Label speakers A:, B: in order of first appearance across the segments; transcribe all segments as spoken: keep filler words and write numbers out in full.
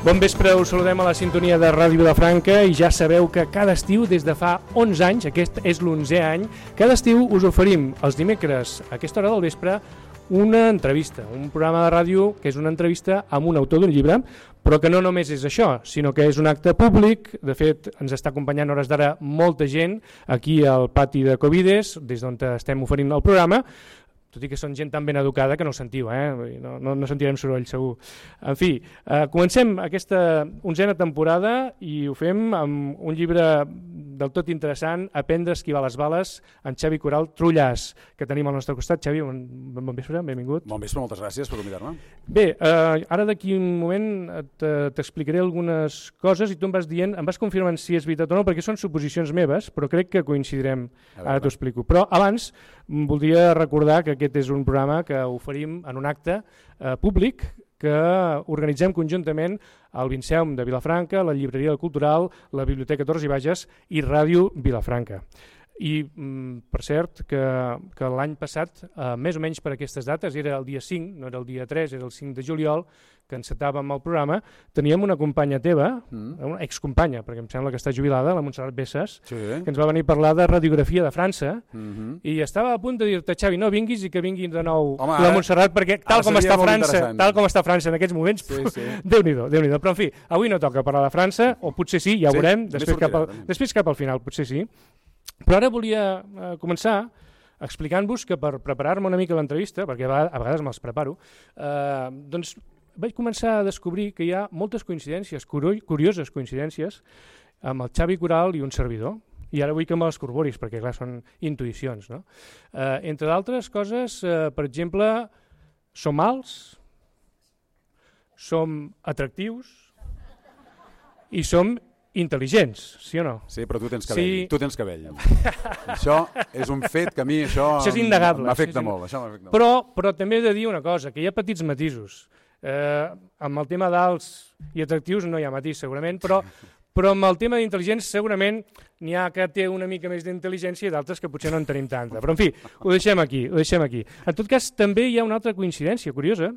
A: Bon vespre, us saludem a la sintonia de Ràdio Vilafranca i ja sabeu que cada estiu, des de fa onze anys, aquest és l'onzè any, cada estiu us oferim els dimecres a aquesta hora del vespre una entrevista, un programa de ràdio que és una entrevista amb un autor d'un llibre, però que no només és això, sinó que és un acte públic. De fet, ens està acompanyant a hores d'ara molta gent aquí al pati de Covides, des d'on estem oferint el programa, tot i que són gent tan ben educada que no ho sentiu, eh? no, no, no sentirem soroll segur. En fi, eh, comencem aquesta onzena temporada i ho fem amb un llibre del tot interessant, Aprendre a esquivar les bales, en Xavi Coral Trullàs, que tenim al nostre costat. Xavi, bon, bon vespre, benvingut.
B: Bon vespre, moltes gràcies per convidar-me.
A: Bé, eh, ara d'aquí un moment t'explicaré algunes coses i tu em vas dient, em vas confirmant si és veritat o no, perquè són suposicions meves, però crec que coincidirem, ara t'ho explico. Però abans voldria recordar que aquest és un programa que oferim en un acte eh, públic que organitzem conjuntament al Vinceum de Vilafranca, la Llibreria Cultural, la Biblioteca Torres i Bages i Ràdio Vilafranca. I, per cert, que, que l'any passat, eh, més o menys per aquestes dates, era el dia cinc, no era el dia tres, era el cinc de juliol, que encetàvem el programa, teníem una companya teva, mm. una excompanya, perquè em sembla que està jubilada, la Montserrat Bessas, sí. que ens va venir a parlar de radiografia de França, mm-hmm. i estava a punt de dir-te, Xavi, no vinguis i que vingui de nou Home, la Montserrat, perquè tal com està França, tal com està França en aquests moments, sí, sí. Déu-n'hi-do, Déu-n'hi-do. Però en fi, avui no toca parlar de França, o potser sí, ja ho sí, veurem, després cap, al, després cap al final, potser sí. Però ara volia eh, començar explicant-vos que per preparar-me una mica l'entrevista, perquè a vegades me'ls preparo, eh, doncs vaig començar a descobrir que hi ha moltes coincidències, curioses coincidències, amb el Xavi Coral i un servidor. I ara vull que me les corroboris, perquè clar, són intuïcions. No? Eh, entre d'altres coses, eh, per exemple, som alts, som atractius i som intel·ligents, sí o no?
B: Sí, però tu tens cabell.
A: Sí.
B: Tu tens cabell. Això és un fet que a mi això,
A: això és innegable.
B: M'afecta
A: sí, sí.
B: molt. Això m'afecta molt.
A: Però, però també he de dir una cosa, que hi ha petits matisos. Eh, amb el tema d'alts i atractius no hi ha matís segurament, però, però amb el tema d'intel·ligents segurament n'hi ha que té una mica més d'intel·ligència i d'altres que potser no en tenim tanta. Però en fi, ho deixem aquí, ho deixem aquí. En tot cas, també hi ha una altra coincidència curiosa,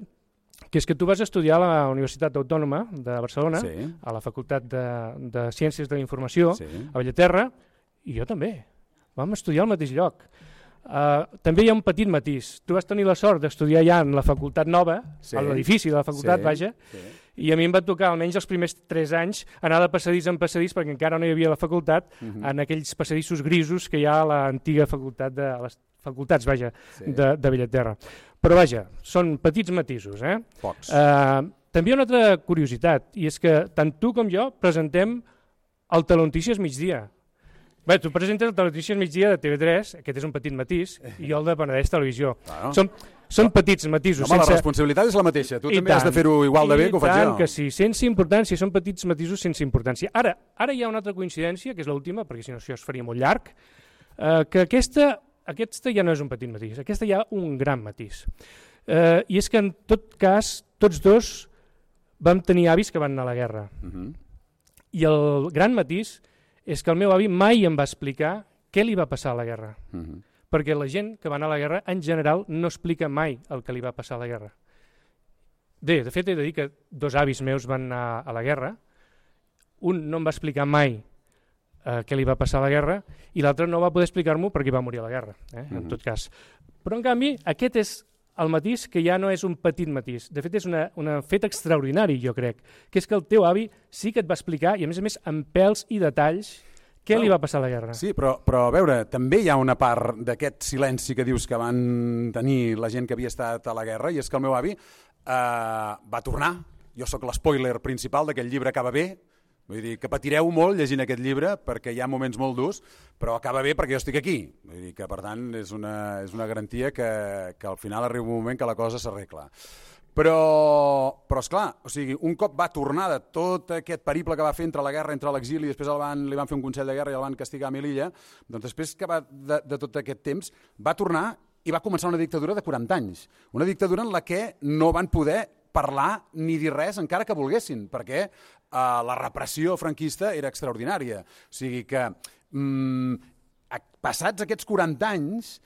A: que és que tu vas estudiar a la Universitat Autònoma de Barcelona, sí. a la Facultat de, de Ciències de la Informació, sí. a Bellaterra, i jo també. Vam estudiar al mateix lloc. Uh, també hi ha un petit matís. Tu vas tenir la sort d'estudiar ja en la Facultat Nova, sí. a l'edifici de la Facultat, sí. vaja, sí. i a mi em va tocar almenys els primers tres anys anar de passadís en passadís, perquè encara no hi havia la facultat, uh-huh. en aquells passadissos grisos que hi ha a l'antiga facultat de a les facultats, vaja, sí. de, de Bellaterra. Però vaja, són petits matisos. Eh?
B: Pocs.
A: Uh, també hi ha una altra curiositat, i és que tant tu com jo presentem el Telenotícies migdia. Bé, tu presentes el Telenotícies migdia de T V tres, aquest és un petit matís, i jo el de Penedès Televisió. Claro. Són, són petits matisos.
B: Home,
A: sense...
B: la responsabilitat és la mateixa. Tu I també tant. Has de fer-ho igual de bé que ho faig jo.
A: I tant que sí, sense importància, són petits matisos sense importància. Ara, ara hi ha una altra coincidència, que és l'última, perquè si no això es faria molt llarg, eh, que aquesta... Aquesta ja no és un petit matís, aquesta ja un gran matís. Eh, I és que en tot cas, tots dos vam tenir avis que van anar a la guerra. Uh-huh. I el gran matís és que el meu avi mai em va explicar què li va passar a la guerra. Uh-huh. Perquè la gent que va anar a la guerra, en general, no explica mai el que li va passar a la guerra. Bé, de fet, he de dir que dos avis meus van anar a la guerra. Un no em va explicar mai Uh, què li va passar a la guerra, i l'altre no va poder explicar-m'ho perquè va morir a la guerra, eh? mm-hmm. en tot cas. Però, en canvi, aquest és el matís que ja no és un petit matís. De fet, és una, una fet extraordinari, jo crec, que és que el teu avi sí que et va explicar, i a més a més amb pèls i detalls, què no. li va passar a la guerra.
B: Sí, però, però a veure, també hi ha una part d'aquest silenci que dius que van tenir la gent que havia estat a la guerra, i és que el meu avi eh, va tornar. Jo sóc l'espoiler principal d'aquest llibre Acaba bé. Vull dir que patireu molt llegint aquest llibre perquè hi ha moments molt durs, però acaba bé perquè jo estic aquí. Vull dir que, per tant, és una, és una garantia que, que al final arriba un moment que la cosa s'arregla. Però, però esclar, o sigui, un cop va tornar de tot aquest periple que va fer entre la guerra, entre l'exili, i després el van, li van fer un consell de guerra i el van castigar a Melilla, doncs després que va de, de tot aquest temps va tornar i va començar una dictadura de quaranta anys. Una dictadura en la que no van poder parlar ni dir res encara que volguessin, perquè eh, la repressió franquista era extraordinària. O sigui que, mm, passats aquests quaranta anys,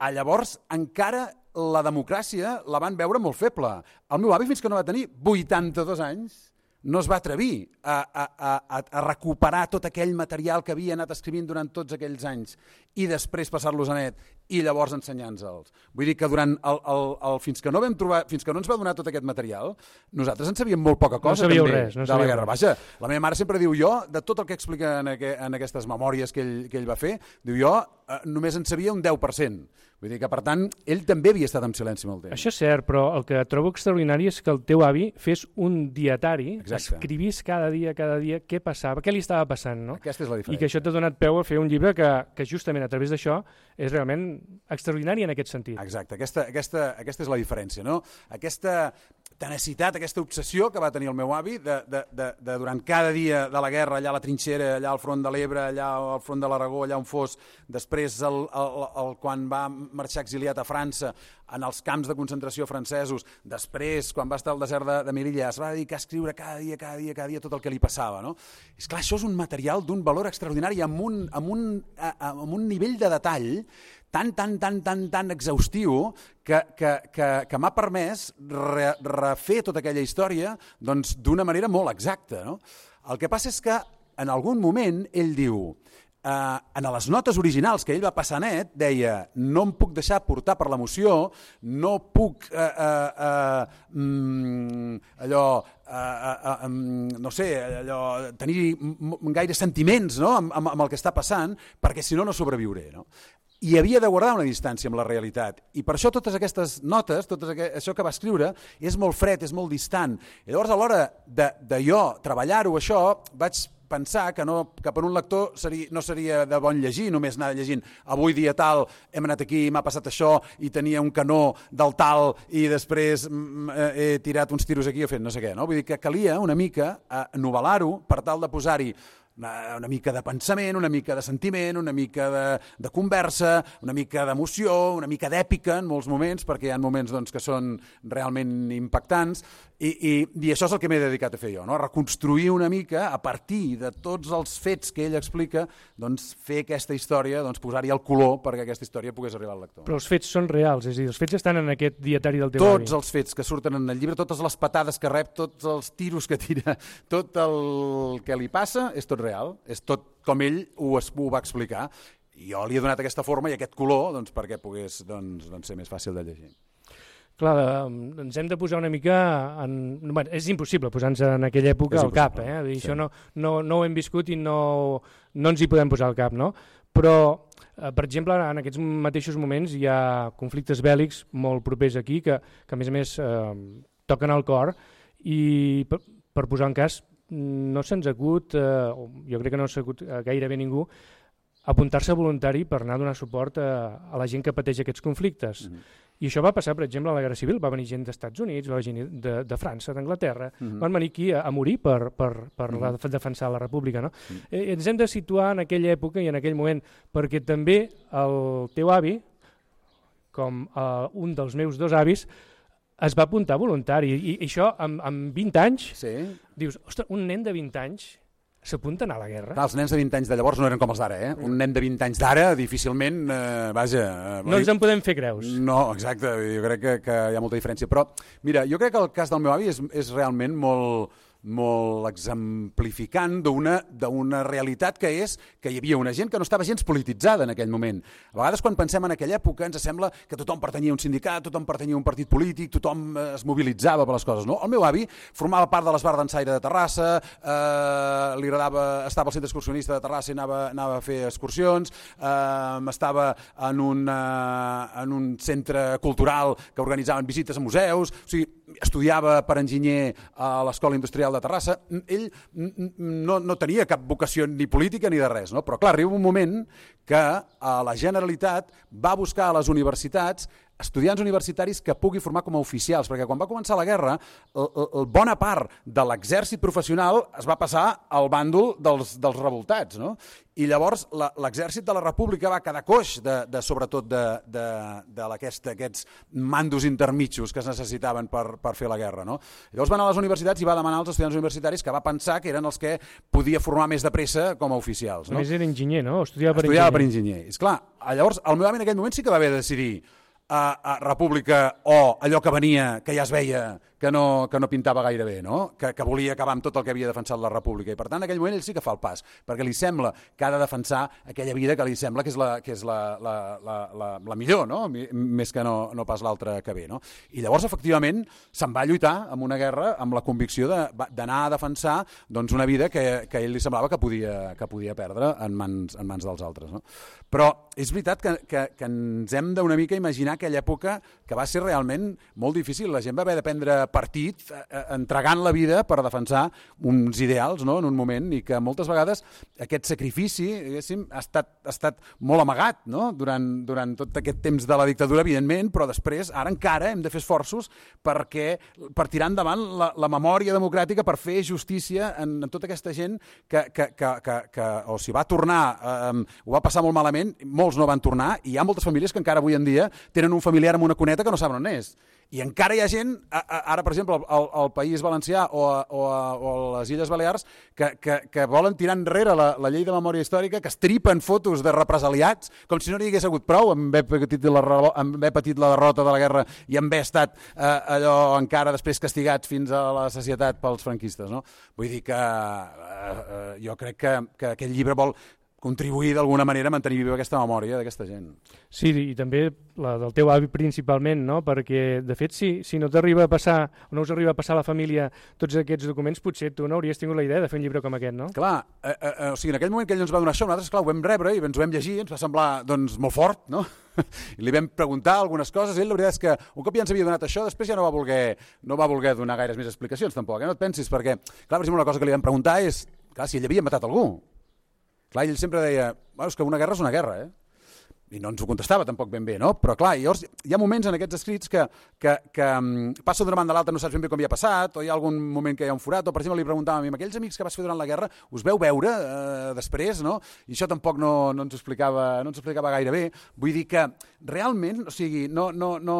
B: a llavors encara la democràcia la van veure molt feble. El meu avi, fins que no va tenir vuitanta-dos anys, no es va atrevir a, a, a, a recuperar tot aquell material que havia anat escrivint durant tots aquells anys i després passar-los a net i llavors ensenyar-nos-els. Vull dir que durant el, el, el, fins, que no vam trobar, fins que no ens va donar tot aquest material, nosaltres en sabíem molt poca cosa
A: no
B: també
A: res, no
B: de la guerra.
A: Res.
B: Vaja, la meva mare sempre diu jo, de tot el que explica en, aqu en aquestes memòries que ell, que ell va fer, diu jo eh, només en sabia un deu per cent. Vull dir que, per tant, ell també havia estat en silenci molt temps.
A: Això és cert, però el que trobo extraordinari és que el teu avi fes un dietari,
B: Exacte.
A: escrivís cada dia, cada dia, què passava, què li estava passant, no?
B: Aquesta és la diferència.
A: I que això t'ha donat peu a fer un llibre que, que justament a través d'això és realment extraordinari en aquest sentit.
B: Exacte, aquesta, aquesta, aquesta és la diferència, no? Aquesta tenacitat, aquesta obsessió que va tenir el meu avi de, de, de, de durant cada dia de la guerra, allà a la trinxera, allà al front de l'Ebre, allà al front de l'Aragó, allà on fos, després el, el, el, quan va marxar exiliat a França, en els camps de concentració francesos, després, quan va estar al desert de, de Melilla, es va dedicar a escriure cada dia, cada dia, cada dia tot el que li passava, no? És clar, això és un material d'un valor extraordinari amb un, amb un, amb un nivell de detall tan, tan, tan, tan, tan exhaustiu que, que, que, que m'ha permès re, refer tota aquella història doncs, d'una manera molt exacta, no? El que passa és que en algun moment ell diu, eh, en les notes originals que ell va passar net, deia, no em puc deixar portar per l'emoció, no puc eh, eh, eh, mm, allò... Uh, uh, uh, um, no sé, allò, tenir gaire sentiments, no? amb, amb, amb el que està passant, perquè si no no sobreviuré, no? I havia de guardar una distància amb la realitat. I per això totes aquestes notes, tot això que va escriure, és molt fred, és molt distant. I llavors a l'hora de, de jo treballar-ho això, vaig pensar que, no, que per un lector seria, no seria de bon llegir, només anar llegint avui dia tal, hem anat aquí, m'ha passat això i tenia un canó del tal i després he tirat uns tiros aquí o fet no sé què. No? Vull dir que calia una mica novel·lar-ho per tal de posar-hi una, una mica de pensament, una mica de sentiment, una mica de, de conversa, una mica d'emoció, una mica d'èpica en molts moments, perquè hi ha moments doncs, que són realment impactants, i, i, i això és el que m'he dedicat a fer jo, no? A reconstruir una mica, a partir de tots els fets que ell explica, doncs, fer aquesta història, doncs, posar-hi el color perquè aquesta història pogués arribar al lector.
A: Però els fets són reals, és a dir, els fets estan en aquest dietari del teu
B: avi.
A: Tots
B: els fets que surten en el llibre, totes les patades que rep, tots els tiros que tira, tot el que li passa, és tot real, és tot com ell ho, ho va explicar. I jo li he donat aquesta forma i aquest color doncs, perquè pogués doncs, doncs, ser més fàcil de llegir.
A: Clar, ens hem de posar una mica... En... Bueno, és impossible posar-nos en aquella època al cap, eh? Dir, sí. Això no, no, no ho hem viscut i no, no ens hi podem posar al cap, no? Però, eh, per exemple, en aquests mateixos moments hi ha conflictes bèl·lics molt propers aquí que, que a més a més, eh, toquen al cor i, per, per posar en cas, no se'ns acut, eh, jo crec que no s'ha acut gairebé ningú, apuntar-se voluntari per anar a donar suport a, a la gent que pateix aquests conflictes. Mm-hmm. I això va passar, per exemple, a la Guerra Civil. Va venir gent dels Estats Units, va venir de, de França, d'Anglaterra, mm-hmm. van venir aquí a, a morir per, per, per mm-hmm. la, defensar la República. No? Mm-hmm. eh, ens hem de situar en aquella època i en aquell moment, perquè també el teu avi, com eh, un dels meus dos avis, es va apuntar voluntari. I, i això, amb, amb vint anys,
B: sí. Dius,
A: ostres, un nen de vint anys s'apunten a la guerra.
B: Clar, els nens de vint anys de llavors no eren com els d'ara, eh? Un nen de vint anys d'ara, difícilment, eh, vaja... Eh,
A: no ens en podem fer creus.
B: No, exacte, jo crec que, que hi ha molta diferència. Però, mira, jo crec que el cas del meu avi és, és realment molt... molt exemplificant d'una realitat que és que hi havia una gent que no estava gens polititzada en aquell moment. A vegades quan pensem en aquella època ens sembla que tothom pertanyia a un sindicat, tothom pertanyia a un partit polític, tothom es mobilitzava per les coses. No? El meu avi formava part de l'Esbar d'Ensaire de Terrassa, eh, li agradava, estava al centre excursionista de Terrassa i anava, anava a fer excursions, eh, estava en un, eh, en un centre cultural que organitzaven visites a museus, o sigui, estudiava per enginyer a l'Escola Industrial de Terrassa. Ell no, no tenia cap vocació ni política ni de res, no? Però clar, arriba un moment que la Generalitat va buscar a les universitats estudiants universitaris que pugui formar com a oficials, perquè quan va començar la guerra, el, el, bona part de l'exèrcit professional es va passar al bàndol dels, dels revoltats, no? I llavors l'exèrcit de la República va quedar coix, de, de, sobretot de, de, de aquests mandos intermitjos que es necessitaven per, per fer la guerra, no? Llavors va anar a les universitats i va demanar als estudiants universitaris que va pensar que eren els que podia formar més de pressa com a oficials. No?
A: A més era enginyer, no? Estudiava per
B: Estudiava
A: enginyer.
B: per enginyer. Esclar, llavors el meu avi en aquell moment sí que va haver de decidir a, a República o allò que venia, que ja es veia que no, que no pintava gaire bé, no? que, que volia acabar amb tot el que havia defensat la República. I per tant, en aquell moment ell sí que fa el pas, perquè li sembla que ha de defensar aquella vida que li sembla que és la, que és la, la, la, la, la millor, no? Més que no, no pas l'altra que ve. No? I llavors, efectivament, se'n va lluitar amb una guerra amb la convicció d'anar a defensar doncs, una vida que, que a ell li semblava que podia, que podia perdre en mans, en mans dels altres. No? Però és veritat que, que, que ens hem d'una mica imaginar aquella època que va ser realment molt difícil. La gent va haver de prendre partit eh, entregant la vida per defensar uns ideals, no? En un moment, i que moltes vegades aquest sacrifici ha estat, ha estat molt amagat, no? durant, durant tot aquest temps de la dictadura, evidentment, però després, ara encara hem de fer esforços perquè, per tirar endavant la, la memòria democràtica, per fer justícia en, en tota aquesta gent que, que, que, que, que o s'hi va tornar, eh, ho va passar molt malament, molts no van tornar, i hi ha moltes famílies que encara avui en dia tenen un familiar amb una cuneta que no saben on és. I encara hi ha gent, ara per exemple al, al País Valencià o a, o, a, o a les Illes Balears, que, que, que volen tirar enrere la, la llei de memòria històrica, que estripen fotos de represaliats, com si no n'hi hagués hagut prou amb haver patit la, amb haver patit la derrota de la guerra i amb haver estat eh, allò encara després castigats fins a la societat pels franquistes. No? Vull dir que eh, eh, jo crec que, que aquest llibre vol contribuir d'alguna manera a mantenir viva aquesta memòria d'aquesta gent.
A: Sí, i també la del teu avi principalment, no? Perquè de fet si, si no t'arriba a passar, o no us arriba a passar a la família tots aquests documents, potser tu no hauries tingut la idea de fer un llibre com aquest, no?
B: Clar, eh, eh, o sigui, en aquell moment que ell ens va donar això, nosaltres clar, ho vam rebre i ens ho vam llegir, ens va semblar doncs, molt fort, no? I li vam preguntar algunes coses, i ell la veritat és que un cop ja ens havia donat això, després ja no va voler, no va voler donar gaires més explicacions tampoc, eh? No et pensis, perquè, clar, per exemple, una cosa que li vam preguntar és, clar, si ell havia matat algú. Clar, ell sempre deia, bueno, és que una guerra és una guerra, eh? I no ens ho contestava tampoc ben bé, no? Però clar, llavors hi ha moments en aquests escrits que, que, que um, passa d'una banda a l'altra, no saps ben bé com hi ha passat, o hi ha algun moment que hi ha un forat, o per exemple li preguntàvem a mi, aquells amics que vas fer durant la guerra, us veu veure eh, després, no? I això tampoc no, no, ens explicava, no ens explicava gaire bé. Vull dir que realment, o sigui, no, no, no,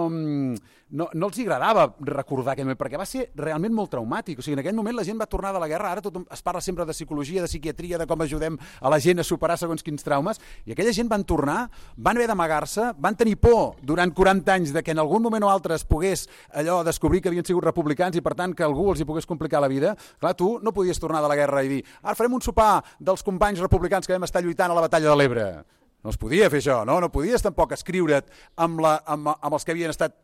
B: no, no els agradava recordar aquell moment, perquè va ser realment molt traumàtic. O sigui, en aquell moment la gent va tornar de la guerra, ara tot es parla sempre de psicologia, de psiquiatria, de com ajudem a la gent a superar segons quins traumes, i aquella gent van tornar, van haver d'amagar-se, van tenir por durant quaranta anys de que en algun moment o altre es pogués allò descobrir que havien sigut republicans i per tant que algú els hi pogués complicar la vida. Clar, tu no podies tornar de la guerra i dir ara farem un sopar dels companys republicans que vam estar lluitant a la batalla de l'Ebre. No es podia fer això, no? No podies tampoc escriure't amb, la, amb, amb els que havien estat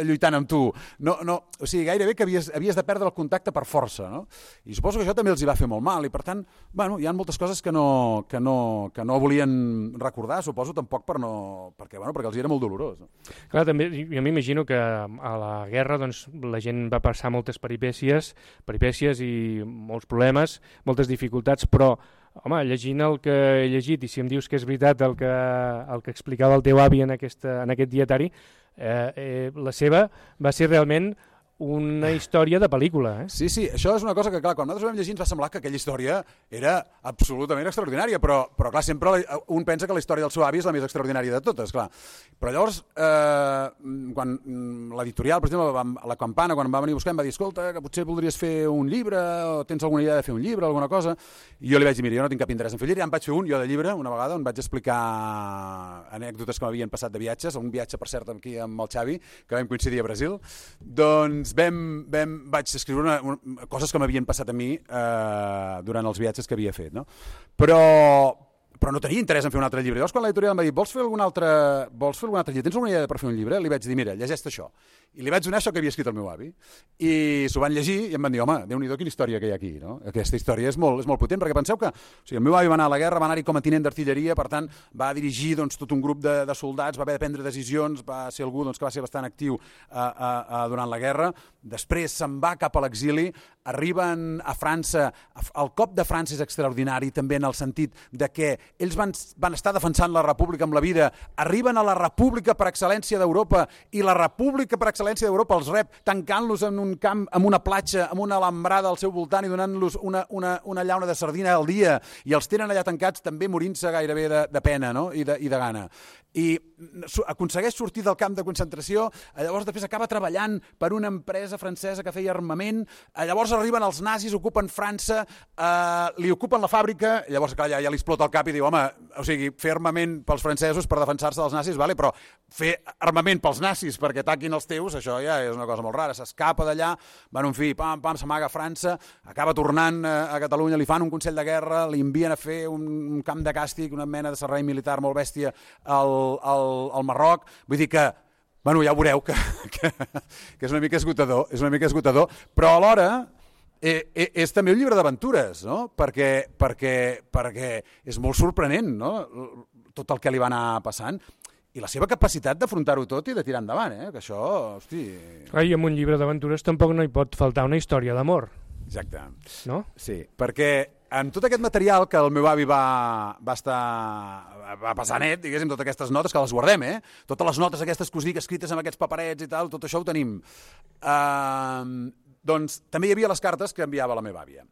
B: lluitant amb tu. No, no, o sigui, gairebé que havies, havies de perdre el contacte per força, no? I suposo que això també els hi va fer molt mal i per tant, bueno, hi ha moltes coses que no, que no, que no volien recordar, suposo tampoc per no, perquè, bueno, perquè els hi era molt dolorós. No?
A: Clar, també, jo m'imagino que a la guerra doncs, la gent va passar moltes peripècies, peripècies i molts problemes, moltes dificultats, però home, llegint el que he llegit i si em dius que és veritat el que, el que explicava el teu avi en, aquesta, en aquest dietari, eh, eh, la seva va ser realment una història de pel·lícula. Eh?
B: Sí, sí, això és una cosa que, clar, quan nosaltres ho vam llegir ens va semblar que aquella història era absolutament extraordinària, però, però clar, sempre un pensa que la història del seu avi és la més extraordinària de totes, clar. Però llavors, eh, quan l'editorial, per exemple, la Campana, quan em va venir a buscar, em va dir, escolta, que potser voldries fer un llibre, o tens alguna idea de fer un llibre, alguna cosa, i jo li vaig dir, mira, jo no tinc cap interès en fer llibre, ja em vaig fer un, jo de llibre, una vegada, on vaig explicar anècdotes que m'havien passat de viatges, un viatge, per cert, aquí amb el Xavi, que vam coincidir a Brasil, doncs Vam, vam, vaig escriure una, una, coses que m'havien passat a mi eh, durant els viatges que havia fet, no? Però, però no tenia interès en fer un altre llibre. Llavors, quan l'editorial em va dir, vols fer algun altre, vols fer algun altre llibre? Tens alguna idea per fer un llibre? Li vaig dir, mira, llegeix això. I li vaig donar això que havia escrit el meu avi. I s'ho van llegir i em van dir, home, Déu-n'hi-do, quina història que hi ha aquí, no? Aquesta història és molt, és molt potent, perquè penseu que o sigui, el meu avi va anar a la guerra, va anar-hi com a tinent d'artilleria, per tant, va dirigir doncs, tot un grup de, de soldats, va haver de prendre decisions, va ser algú doncs, que va ser bastant actiu a, a, a, durant la guerra. Després se'n va cap a l'exili, arriben a França, el cop de França és extraordinari també en el sentit de que ells van, van estar defensant la república amb la vida, arriben a la república per excel·lència d'Europa i la república per excel·lència d'Europa els rep tancant-los en un camp, en una platja, amb una alambrada al seu voltant i donant-los una, una, una llauna de sardina al dia i els tenen allà tancats també morint-se gairebé de, de pena, no? I, de, i de gana. I aconsegueix sortir del camp de concentració, llavors després acaba treballant per una empresa francesa que feia armament, llavors arriben els nazis, ocupen França, eh, li ocupen la fàbrica, llavors clar, ja, ja li explota el cap i diu, home, o sigui, fer armament pels francesos per defensar-se dels nazis, vale, però fer armament pels nazis perquè ataquin els teus, això ja és una cosa molt rara. S'escapa d'allà, van un fill, pam, pam, s'amaga a França, acaba tornant a Catalunya, li fan un consell de guerra, li envien a fer un, un camp de càstig, una mena de servei militar molt bèstia al, al, al Marroc. Vull dir que bueno, ja veureu que, que, que és una mica esgotador, és una mica esgotador, però alhora eh, eh, és també un llibre d'aventures, no? perquè, perquè, perquè és molt sorprenent, no? Tot el que li va anar passant i la seva capacitat d'afrontar-ho tot i de tirar endavant, eh? Que això, hosti...
A: Clar, i en un llibre d'aventures tampoc no hi pot faltar una història d'amor.
B: Exacte.
A: No?
B: Sí, perquè en tot aquest material que el meu avi va, va estar va passar net, diguéssim, totes aquestes notes, que les guardem, eh? Totes les notes aquestes que us dic, escrites amb aquests paperets i tal, tot això ho tenim. Uh, doncs també hi havia les cartes que enviava la meva àvia.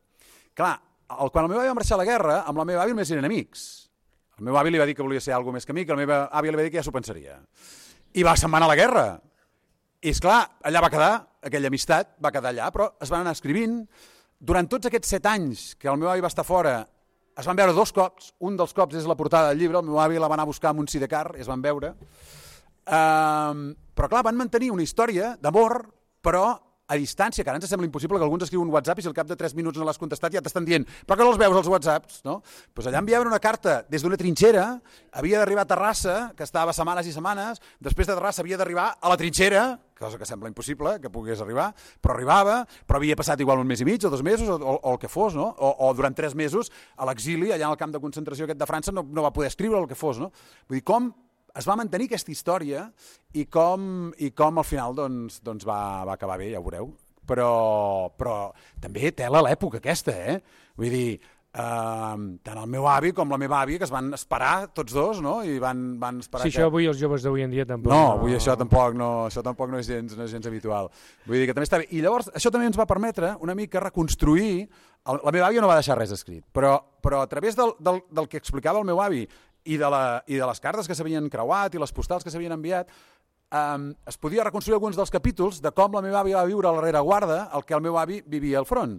B: Clar, el, quan el meu avi va marxar a la guerra, amb la meva àvia només eren amics. El meu avi li va dir que volia ser alguna més que amic, la meva àvia li va dir que ja s'ho pensaria. I va se'n va anar a la guerra. I esclar, allà va quedar, aquella amistat va quedar allà, però es van anar escrivint. Durant tots aquests set anys que el meu avi va estar fora, es van veure dos cops. Un dels cops és la portada del llibre, el meu avi la va anar a buscar amb un sidecar i es van veure. Um, però clar, van mantenir una història d'amor, però a distància, que ara ens sembla impossible que algú ens escriu un WhatsApp i si al cap de tres minuts no l'has contestat ja t'estan dient però que no els veus els WhatsApps, no? Pues allà enviaven una carta des d'una trinxera, havia d'arribar a Terrassa, que estava setmanes i setmanes, després de Terrassa havia d'arribar a la trinxera, cosa que sembla impossible que pogués arribar, però arribava, però havia passat igual un mes i mig o dos mesos o, o, o el que fos, no? O, o durant tres mesos a l'exili, allà al camp de concentració aquest de França, no, no va poder escriure el que fos, no? Vull dir, com es va mantenir aquesta història i com, i com al final doncs, doncs va, va acabar bé, ja ho veureu. Però, però també tela l'època aquesta, eh? Vull dir, eh, tant el meu avi com la meva àvia, que es van esperar tots dos, no? I van, van esperar
A: sí,
B: que...
A: això avui els joves d'avui en dia tampoc...
B: No, avui això tampoc no, això tampoc no és gens, no és gens habitual. Vull dir que també està bé. I llavors això també ens va permetre una mica reconstruir... El, la meva àvia no va deixar res escrit, però, però a través del, del, del que explicava el meu avi i de, la, i de les cartes que s'havien creuat i les postals que s'havien enviat, Um, es podia reconstruir alguns dels capítols de com la meva àvia va viure a la rereguarda el que el meu avi vivia al front.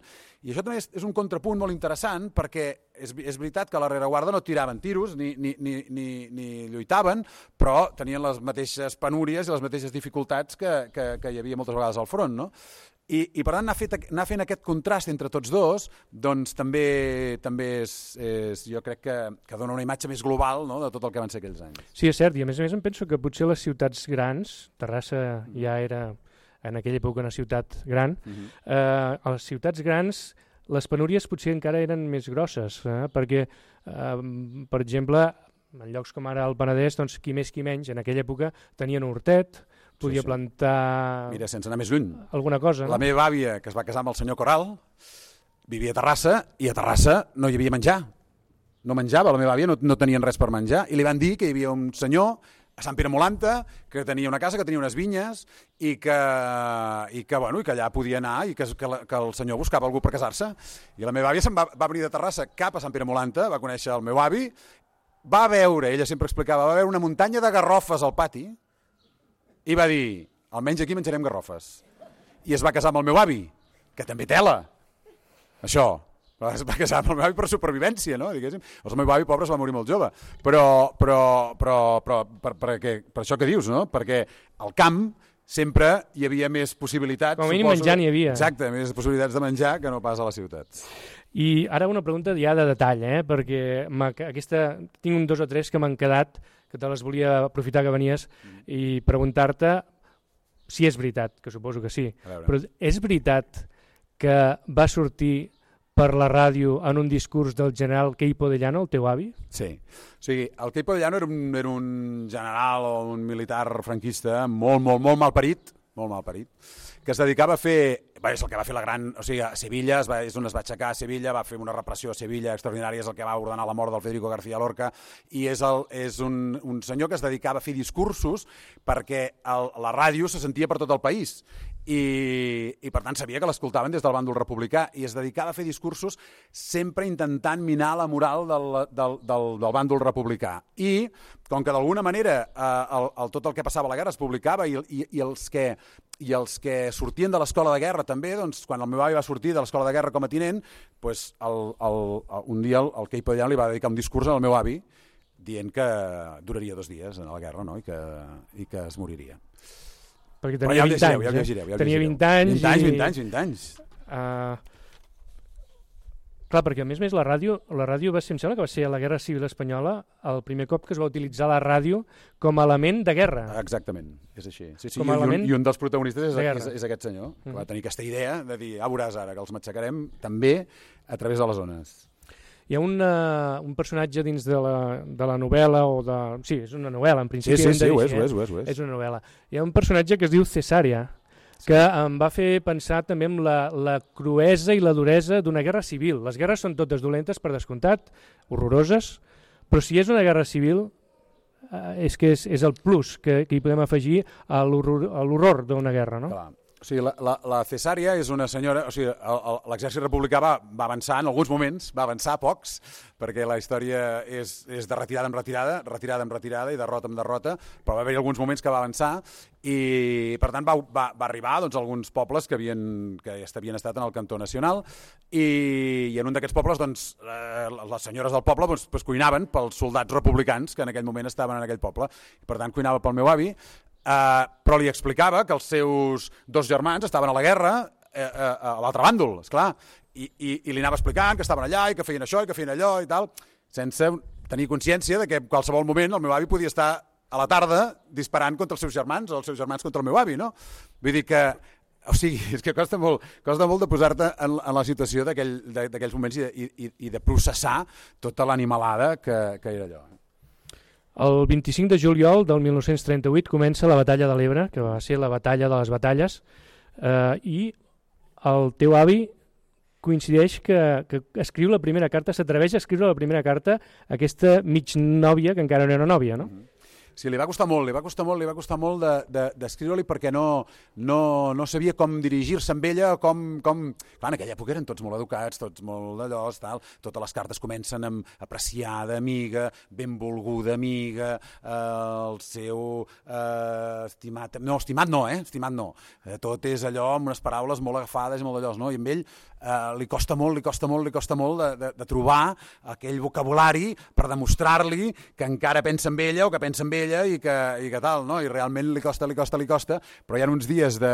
B: I això també és, és un contrapunt molt interessant perquè és, és veritat que a la rereguarda no tiraven tiros ni, ni, ni, ni, ni lluitaven, però tenien les mateixes penúries i les mateixes dificultats que, que, que hi havia moltes vegades al front, no? I, i per tant anar, fet, anar fent aquest contrast entre tots dos doncs també també és, és jo crec que, que dona una imatge més global, no?, de tot el que van ser aquells anys.
A: Sí, és cert, i a més a més em penso que potser les ciutats grans, Terrassa ja era en aquella època una ciutat gran, uh-huh. eh, a les ciutats grans les penúries potser encara eren més grosses, eh, perquè eh, per exemple en llocs com ara el Penedès, doncs qui més qui menys en aquella època tenien un hortet, podia sí, sí. plantar...
B: Mira, sense anar més lluny.
A: Alguna cosa, no?
B: La meva àvia, que es va casar amb el senyor Coral, vivia a Terrassa i a Terrassa no hi havia menjar. No menjava, la meva àvia no, no tenien res per menjar i li van dir que hi havia un senyor a Sant Pere Molanta que tenia una casa, que tenia unes vinyes i que, i que, bueno, i que allà podia anar i que, que, la, que el senyor buscava algú per casar-se. I la meva àvia se'n va, va venir de Terrassa cap a Sant Pere Molanta, va conèixer el meu avi, va veure, ella sempre explicava, va veure una muntanya de garrofes al pati i va dir, almenys aquí menjarem garrofes. I es va casar amb el meu avi, que també tela, això. Es va casar amb el meu avi per supervivència, no? Diguéssim. El meu avi, pobre, es va morir molt jove. Però, però, però, però per, per, per, per això que dius, no? Perquè al camp sempre hi havia més possibilitats.
A: Com a mínim menjar n'hi havia.
B: Exacte, més possibilitats de menjar que no pas a les ciutats.
A: I ara una pregunta ja de detall, eh? Perquè aquesta, tinc un dos o tres que m'han quedat, que te les volia aprofitar que venies i preguntar-te si és veritat, que suposo que sí, però és veritat que va sortir per la ràdio en un discurs del general Queipo de Llano, el teu avi?
B: Sí. O sigui, el Queipo de Llano era un, era un general o un militar franquista molt, molt, molt malparit, molt malparit, que es dedicava a fer... Bé, és el que va fer la gran... O sigui, a Sevilla, es va, és on es va aixecar a Sevilla, va fer una repressió a Sevilla extraordinària, és el que va ordenar la mort del Federico García Lorca, i és, el, és un, un senyor que es dedicava a fer discursos perquè el, la ràdio se sentia per tot el país. i, i per tant sabia que l'escoltaven des del bàndol republicà i es dedicava a fer discursos sempre intentant minar la moral del, del, del, del bàndol republicà. I com que d'alguna manera eh, el, el, tot el que passava a la guerra es publicava i, i, i, els, que, i els que sortien de l'escola de guerra també, doncs, quan el meu avi va sortir de l'escola de guerra com a tinent, doncs, el, el, el, un dia el, el Queipo de Llano li va dedicar un discurs al meu avi dient que duraria dos dies en la guerra, no? I, que, i que es moriria.
A: Perquè tenia ja vint anys,
B: ja llegireu, ja
A: tenia vint anys.
B: vint anys, vint anys, vint anys.
A: Uh, clar, perquè a més a més la ràdio, la ràdio va ser, em sembla que va ser a la Guerra Civil Espanyola el primer cop que es va utilitzar la ràdio com a element de guerra.
B: Exactament, és així. Sí, sí,
A: com
B: i,
A: element
B: un, I un dels protagonistes és, és, és aquest senyor, que
A: mm.
B: va tenir aquesta idea de dir, ah, veuràs ara, que els matxacarem també a través de les ones.
A: Hi ha una, un personatge dins de la, de la novel·la, o de... sí, és una novel·la, en principi.
B: Sí, sí, sí, ho és,
A: eh?
B: ho és, ho és, ho és.
A: És una novel·la. Hi ha un personatge que es diu Cesària, sí, que em va fer pensar també en la, la cruesa i la duresa d'una guerra civil. Les guerres són totes dolentes, per descomptat, horroroses, però si és una guerra civil, eh, és que és, és el plus que, que hi podem afegir a l'horror d'una guerra, no?
B: Clar. O sigui, la, la, la Cesària és una senyora... O sigui, l'exèrcit republicà va, va avançar en alguns moments, va avançar pocs, perquè la història és, és de retirada en retirada, retirada en retirada i derrota en derrota, però va haver alguns moments que va avançar i, per tant, va, va, va arribar doncs, a alguns pobles que havien, que havien estat en el cantó nacional i, i en un d'aquests pobles doncs, eh, les senyores del poble doncs, doncs, cuinaven pels soldats republicans que en aquell moment estaven en aquell poble. Per tant, cuinava pel meu avi, Uh, però li explicava que els seus dos germans estaven a la guerra uh, uh, a l'altre bàndol, esclar, i, i, i li anava explicant que estaven allà i que feien això i que feien allò i tal, sense tenir consciència de que en qualsevol moment el meu avi podia estar a la tarda disparant contra els seus germans o els seus germans contra el meu avi, no? Vull dir que, o sigui, és que costa molt, costa molt de posar-te en, en la situació d'aquells aquell, moments i, i, i de processar tota l'animalada que, que era allò.
A: El vint-i-cinc de juliol del mil nou-cents trenta-vuit comença la batalla de l'Ebre, que va ser la batalla de les batalles, eh, i el teu avi coincideix que, que escriu la primera carta, s'atreveix a escriure la primera carta a aquesta mig nòvia, que encara no era nòvia, no?
B: Mm-hmm. Sí, li va costar molt, li va costar molt, li va costar molt d'escriure-li de, de, perquè no, no, no sabia com dirigir-se amb ella, com, com... Clar, en aquella època eren tots molt educats, tots molt d'allò, tal, totes les cartes comencen amb apreciada amiga, benvolguda amiga, eh, el seu eh, estimat... No, estimat no, eh? Estimat no. Eh, tot és allò amb unes paraules molt agafades i molt d'allò, no? I amb ell eh, li costa molt, li costa molt, li costa molt de, de, de trobar aquell vocabulari per demostrar-li que encara pensa en ella o que pensa en ella i que, i que tal, no? I realment li costa, li costa, li costa, però hi ha uns dies de,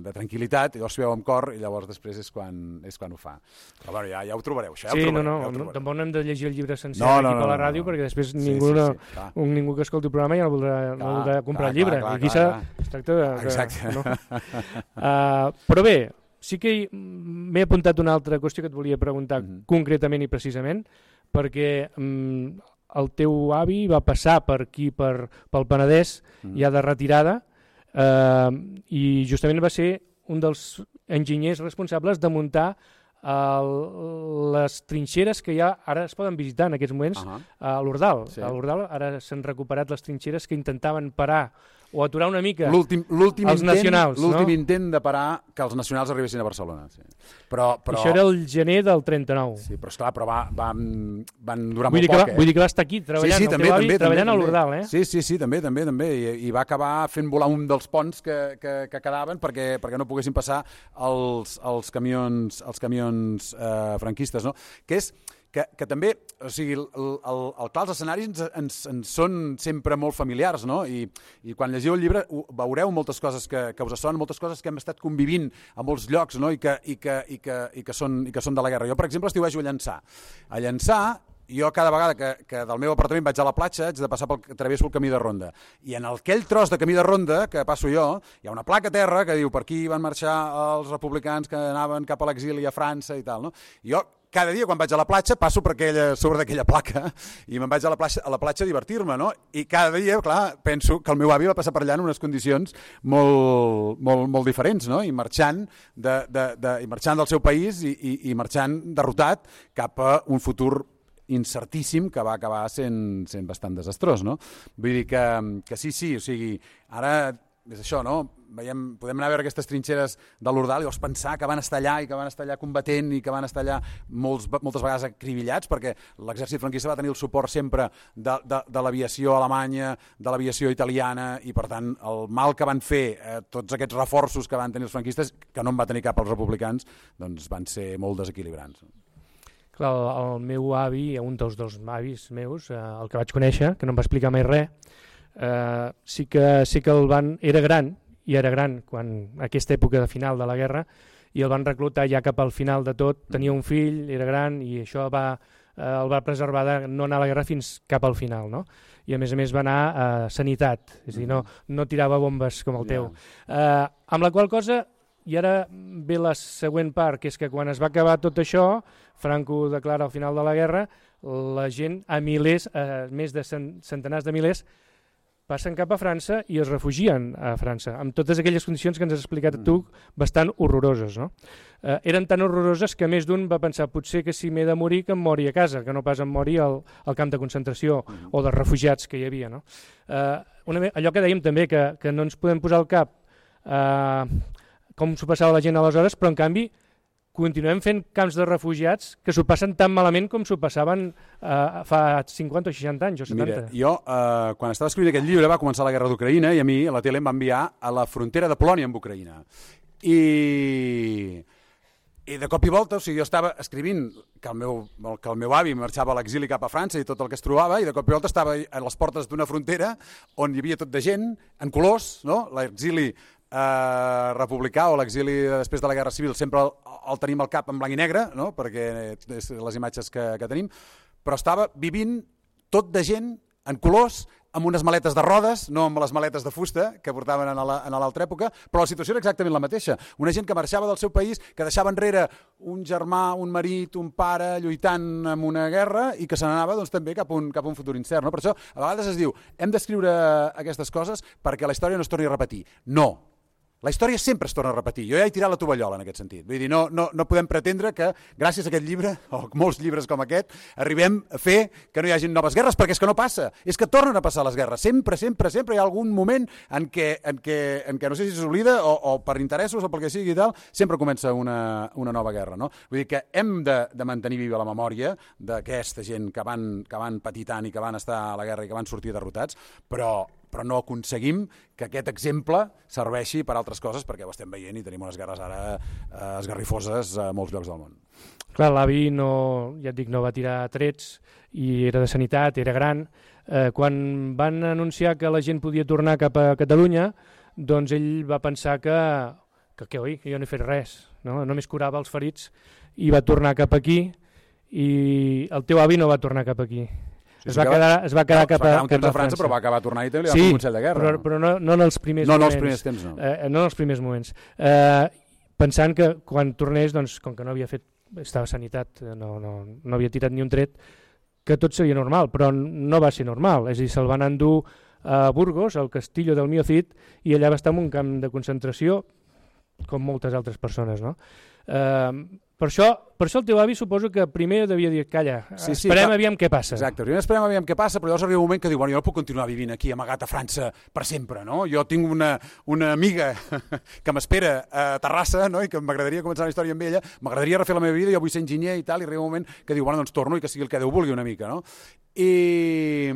B: de tranquil·litat i llavors s'ho veu amb cor i llavors després és quan, és quan ho fa. Però bueno, ja, ja ho trobareu, això ja
A: sí,
B: ho trobareu.
A: No, no,
B: ja ho
A: no, tampoc no hem de llegir el llibre sencer
B: no,
A: aquí
B: no, no,
A: per la
B: no,
A: ràdio
B: no, no.
A: perquè després
B: sí,
A: ningú,
B: sí,
A: sí,
B: sí,
A: un, ningú que escolti el programa ja no voldrà, clar, no voldrà comprar clar, el llibre.
B: Clar,
A: I aquí
B: clar,
A: es tracta de...
B: Exacte.
A: No? uh, però bé, sí que m'he apuntat una altra qüestió que et volia preguntar mm-hmm. concretament i precisament, perquè... Um, el teu avi va passar per aquí, per, pel Penedès, mm. ja de retirada, eh, i justament va ser un dels enginyers responsables de muntar el, les trinxeres que ja ara es poden visitar en aquests moments uh-huh. a l'Ordal. Sí. A l'Ordal ara s'han recuperat les trinxeres que intentaven parar o aturar una mica
B: l'últim, l'últim
A: els
B: intent,
A: nacionals.
B: L'últim
A: no?
B: intent de parar que els nacionals arribessin a Barcelona. Sí. Però, però...
A: Això era el gener del trenta-nou.
B: Sí, però esclar, però va, va, van durar
A: vull
B: molt
A: poc.
B: Va,
A: eh? Vull dir que va estar aquí treballant,
B: sí, sí,
A: el
B: també,
A: teu avi
B: també,
A: treballant
B: també,
A: a l'Ordal. Eh?
B: Sí, sí, sí, també, també, també. I, i va acabar fent volar un dels ponts que, que, que quedaven perquè, perquè no poguessin passar els, els camions, els camions eh, franquistes, no? Que és... Que, que també, o sigui, el, el, el clar, els escenaris ens, ens, ens són sempre molt familiars, no? I, i quan llegiu el llibre veureu moltes coses que, que us sonen, moltes coses que hem estat convivint a molts llocs, no? I que, i que, i que, i que, són, i que són de la guerra. Jo, per exemple, estiuejo a Llançà. A Llançà, jo cada vegada que, que del meu apartament vaig a la platja haig de passar pel, travesso el camí de ronda. I en aquell tros de camí de ronda que passo jo, hi ha una placa a terra que diu per aquí van marxar els republicans que anaven cap a l'exili a França i tal, no? I jo cada dia quan vaig a la platja passo per aquella, sobre d'aquella placa i me'n vaig a la platja, a la platja a divertir-me, no? I cada dia, clar, penso que el meu avi va passar per allà en unes condicions molt, molt, molt diferents, no? I marxant, de, de, de, i marxant del seu país i, i, i marxant derrotat cap a un futur incertíssim que va acabar sent, sent bastant desastrós, no? Vull dir que, que sí, sí, o sigui, ara és això, no? Veiem, podem anar a veure aquestes trinxeres de l'Ordal i vols pensar que van estar allà i que van estar allà combatent i que van estar allà molts, moltes vegades acribillats, perquè l'exèrcit franquista va tenir el suport sempre de, de, de l'aviació alemanya, de l'aviació italiana, i per tant el mal que van fer eh, tots aquests reforços que van tenir els franquistes, que no en va tenir cap els republicans, doncs van ser molt desequilibrants.
A: Clar, el, el meu avi, un dels dos avis meus, eh, el que vaig conèixer, que no em va explicar mai res, Uh, sí que, sí que el van, era gran, i era gran quan aquesta època de final de la guerra, i el van reclutar ja cap al final de tot, tenia un fill, era gran, i això va, uh, el va preservar de no anar a la guerra fins cap al final, no? I a més a més va anar a sanitat, és a dir, no, no tirava bombes com el teu. Uh, amb la qual cosa, i ara ve la següent part, que és que quan es va acabar tot això, Franco declara al final de la guerra, la gent a milers, uh, més de centenars de milers, passen cap a França i es refugien a França, amb totes aquelles condicions que ens has explicat tu, bastant horroroses. No? Eh, eren tan horroroses que més d'un va pensar potser que si m'he de morir que em mori a casa, que no pas em mori al, al camp de concentració uh-huh. o de refugiats que hi havia. No? Eh, una, allò que dèiem també, que, que no ens podem posar al cap eh, com s'ho passava la gent aleshores, però en canvi continuem fent camps de refugiats que s'ho passen tan malament com s'ho passaven eh, fa cinquanta o seixanta anys o setanta.
B: Mira, jo, eh, quan estava escrivint aquest llibre, va començar la guerra d'Ucraïna i a mi la tele em va enviar a la frontera de Polònia amb Ucraïna. I, i de cop i volta, o sigui, jo estava escrivint que el meu, que el meu avi marxava a l'exili cap a França i tot el que es trobava, i de cop i volta estava a les portes d'una frontera on hi havia tot de gent, en colors, no? L'exili Uh, republicà o l'exili després de la Guerra Civil sempre el, el tenim al cap en blanc i negre, no? Perquè és les imatges que, que tenim, però estava vivint tot de gent en colors, amb unes maletes de rodes, no amb les maletes de fusta que portaven en l'altra època, però la situació era exactament la mateixa. Una gent que marxava del seu país, que deixava enrere un germà, un marit, un pare lluitant en una guerra i que se n'anava doncs, també cap a un, cap a un futur incert. No? Per això a vegades es diu hem d'escriure aquestes coses perquè la història no es torni a repetir. No. La història sempre es torna a repetir. Jo ja he tirat la tovallola en aquest sentit. Vull dir, no, no, no podem pretendre que gràcies a aquest llibre, o molts llibres com aquest, arribem a fer que no hi hagi noves guerres, perquè és que no passa. És que tornen a passar les guerres. Sempre, sempre, sempre hi ha algun moment en què, en què, en què no sé si s'oblida o, o per interessos o pel que sigui i tal, sempre comença una, una nova guerra. No? Vull dir que hem de, de mantenir viva la memòria d'aquesta gent que van, que van patir tant i que van estar a la guerra i que van sortir derrotats, però però no aconseguim que aquest exemple serveixi per altres coses, perquè ho estem veient i tenim unes guerres ara eh, esgarrifoses a molts llocs del món.
A: Clar, l'avi no, ja et dic, no va tirar trets i era de sanitat, era gran. Eh, quan van anunciar que la gent podia tornar cap a Catalunya, doncs ell va pensar que, que, que oi, que jo no he fet res, no? Només curava els ferits i va tornar cap aquí, i el teu avi no va tornar cap aquí. Sí, es, va quedar, es va quedar no, cap, a,
B: un temps cap a França, França, però va acabar tornant i també li va
A: sí,
B: fer un consell de guerra.
A: Però, però no, no en els primers
B: no,
A: moments. No
B: en els primers temps, no.
A: Eh, no en els primers moments. Eh, pensant que quan tornés, doncs, com que no havia fet, estava a sanitat, no, no, no havia tirat ni un tret, que tot seria normal, però no va ser normal. És a dir, se'l van endur a Burgos, al Castillo del Mío Cid, i allà va estar en un camp de concentració, com moltes altres persones, no? Eh, Per això, per això el teu avi suposo que primer devia dir, calla, sí, sí, esperem clar. Aviam què passa.
B: Exacte, primer esperem aviam què passa, però llavors arriba un moment que diu, bueno, jo no puc continuar vivint aquí amagat a França per sempre, no? Jo tinc una, una amiga que m'espera a Terrassa, no? I que m'agradaria començar una història amb ella, m'agradaria refer la meva vida, jo vull ser enginyer i tal, i arriba un moment que diu, bueno, doncs torno i que sigui el que Déu vulgui una mica, no? I...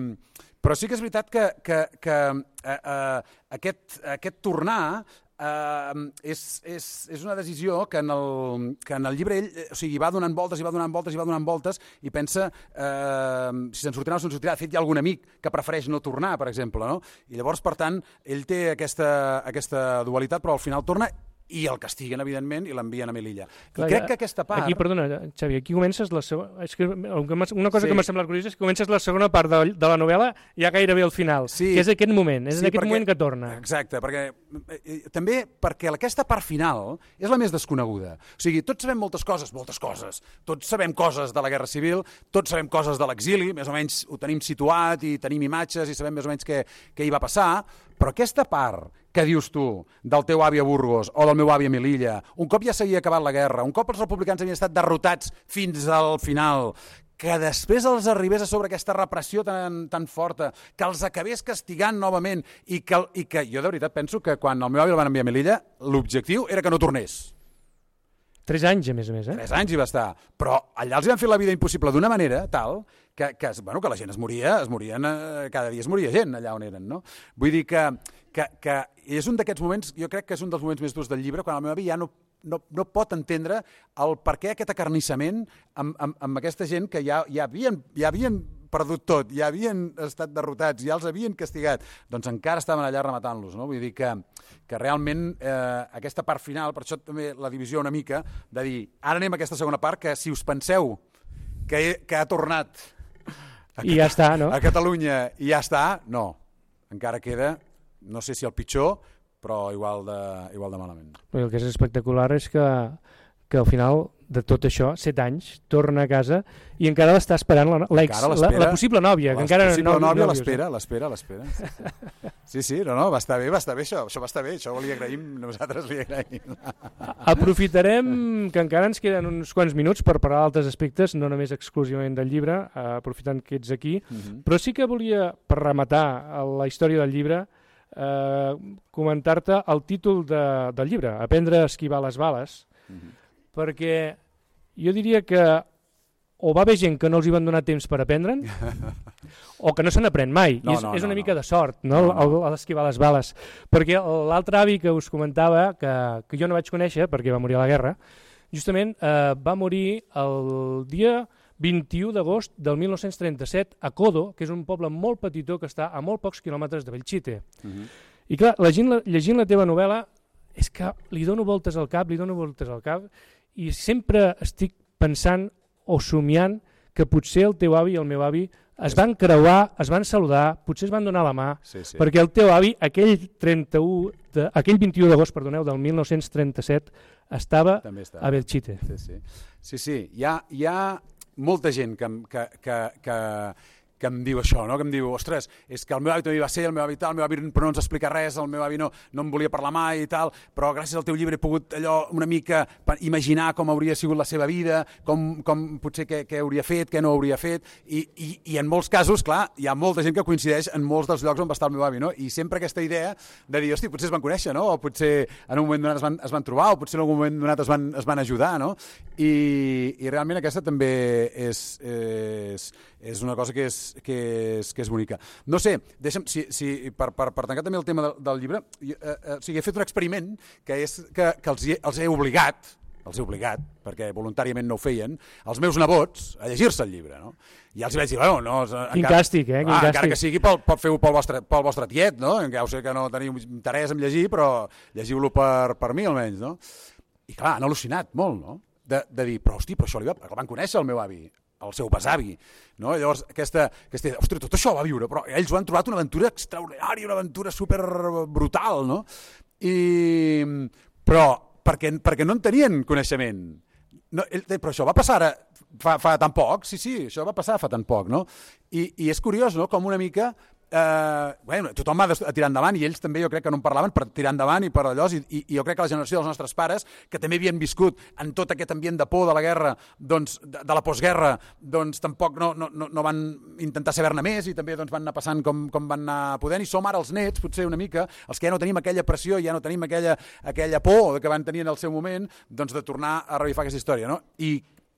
B: Però sí que és veritat que, que, que uh, uh, aquest, aquest tornar Uh, és, és, és una decisió que en, el, que en el llibre ell o sigui, va donant voltes i va donant voltes i va donant voltes i pensa uh, si se'n sortirà o se'n sortirà. De fet, hi ha algun amic que prefereix no tornar, per exemple, no? I llavors, per tant, ell té aquesta, aquesta dualitat, però al final torna i el castiguen, evidentment, i l'envien a Melilla. I Clar, crec que aquesta part...
A: Aquí, perdona, Xavi, aquí comences la segona... És que una cosa sí. que m'ha semblat curiosa és que comences la segona part de, de la novel·la ja gairebé al final, sí. que és aquest moment, és sí, en aquest perquè, moment que torna.
B: Exacte, perquè eh, també perquè aquesta part final és la més desconeguda. O sigui, tots sabem moltes coses, moltes coses. Tots sabem coses de la Guerra Civil, tots sabem coses de l'exili, més o menys ho tenim situat i tenim imatges i sabem més o menys què, què hi va passar, però aquesta part que dius tu, del teu avi a Burgos o del meu avi a Melilla, un cop ja s'havia acabat la guerra, un cop els republicans havien estat derrotats fins al final, que després els arribés a sobre aquesta repressió tan, tan forta, que els acabés castigant novament i que, i que jo de veritat penso que quan el meu avi el van enviar a Melilla l'objectiu era que no tornés.
A: Tres anys, a més a més, eh?
B: Tres anys hi va estar. Però allà els van fer la vida impossible d'una manera tal que, que, bueno, que la gent es moria, es morien, eh, cada dia es moria gent allà on eren, no? Vull dir que, que, que és un d'aquests moments, jo crec que és un dels moments més durs del llibre, quan el meu avi ja no, no, no pot entendre el per què aquest acarnissament amb, amb, amb aquesta gent que ja, ja, havien, ja havien perdut tot, ja havien estat derrotats, ja els havien castigat, doncs encara estaven allà rematant-los, no? Vull dir que, que realment eh, aquesta part final, per això també la divisió una mica, de dir, ara anem a aquesta segona part, que si us penseu que, he, que ha tornat a,
A: I ja està, no?
B: a Catalunya i ja està, no, encara queda, no sé si el pitjor, però igual de, igual de malament.
A: El que és espectacular és que, que al final de tot això, set anys, torna a casa i encara l'està esperant la, l'ex, la, la possible nòvia.
B: La
A: que encara
B: possible
A: no,
B: nòvia
A: no
B: l'espera, l'espera, l'espera. Sí, sí, no, no, va estar bé, va estar bé això, això va estar bé, això li agraïm, nosaltres li agraïm.
A: Aprofitarem que encara ens queden uns quants minuts per parlar d'altres aspectes, no només exclusivament del llibre, aprofitant que ets aquí, uh-huh. Però sí que volia, per rematar la història del llibre, eh, comentar-te el títol de, del llibre, Aprendre a esquivar les bales, uh-huh. Perquè jo diria que o va haver gent que no els hi van donar temps per aprendre'n o que no se n'aprèn mai.
B: No,
A: I és,
B: no,
A: és una
B: no,
A: mica
B: no.
A: de sort, no?
B: No, no.
A: El, el esquivar les bales. Perquè l'altre avi que us comentava, que, que jo no vaig conèixer perquè va morir a la guerra, justament eh, va morir el dia vint-i-u d'agost del mil nou-cents trenta-set a Codo, que és un poble molt petitó que està a molt pocs quilòmetres de Belchite. Uh-huh. I clar, llegint la, llegint la teva novel·la és que li dono voltes al cap, li dono voltes al cap, i sempre estic pensant o somiant que potser el teu avi i el meu avi es van creuar, es van saludar, potser es van donar la mà,
B: sí, sí.
A: Perquè el teu avi, aquell, trenta-u de, aquell vint-i-u d'agost perdoneu, del mil nou-cents trenta-set, estava a Belchite.
B: Sí, sí. sí, sí. Hi, ha, hi ha molta gent que, que, que, que, que em diu això, no? Que em diu, ostres, és que el meu avi també va ser, el meu avi tal, el meu avi però no ens explica res, el meu avi no, no em volia parlar mai i tal, però gràcies al teu llibre he pogut allò una mica imaginar com hauria sigut la seva vida, com, com potser què, què hauria fet, què no hauria fet, i, i, i en molts casos, clar, hi ha molta gent que coincideix en molts dels llocs on va estar el meu avi, no? I sempre aquesta idea de dir, hosti, potser es van conèixer, no? O potser en un moment donat es van, es van trobar, o potser en algun moment donat es van, es van ajudar, no? I, i realment aquesta també és, és, és una cosa que és, que és, que és bonica. No sé, deixa'm, si, si, per, per, per tancar també el tema del, del llibre, eh, eh, o sigui, he fet un experiment que és que, que els, he, els he obligat, els he obligat, perquè voluntàriament no ho feien, els meus nebots a llegir-se el llibre, no? I ja els hi vaig dir, bueno, no...
A: Quin encara, càstig, eh? Quin
B: ah,
A: càstig.
B: Encara que sigui pel, pel, feu pel vostre, pel vostre tiet, no? Ja ho sé que no teniu interès en llegir, però llegiu-lo per, per mi almenys, no? I clar, han al·lucinat molt, no? De, de dir, però hosti, però això li va... El van conèixer el meu avi, el seu besavi, no? I llavors aquesta, aquesta idea, ostres, tot això ho va viure, però ells ho han trobat una aventura extraordinària, una aventura super brutal, no? I, però perquè, perquè no en tenien coneixement. No, ell, però això va passar ara, fa, fa tan poc, sí, sí, això va passar fa tan poc, no? I, i és curiós, no?, com una mica... Eh, bueno, tothom va a tirar endavant i ells també jo crec que no en parlaven per tirar endavant i per allò i, i, i jo crec que la generació dels nostres pares que també havien viscut en tot aquest ambient de por de la guerra, doncs, de, de la postguerra, doncs tampoc no, no, no van intentar saber-ne més i també doncs, van anar passant com, com van anar podent i som ara els nets, potser una mica els que ja no tenim aquella pressió, ja no tenim aquella, aquella por que van tenir en el seu moment, doncs de tornar a revifar aquesta història, no? I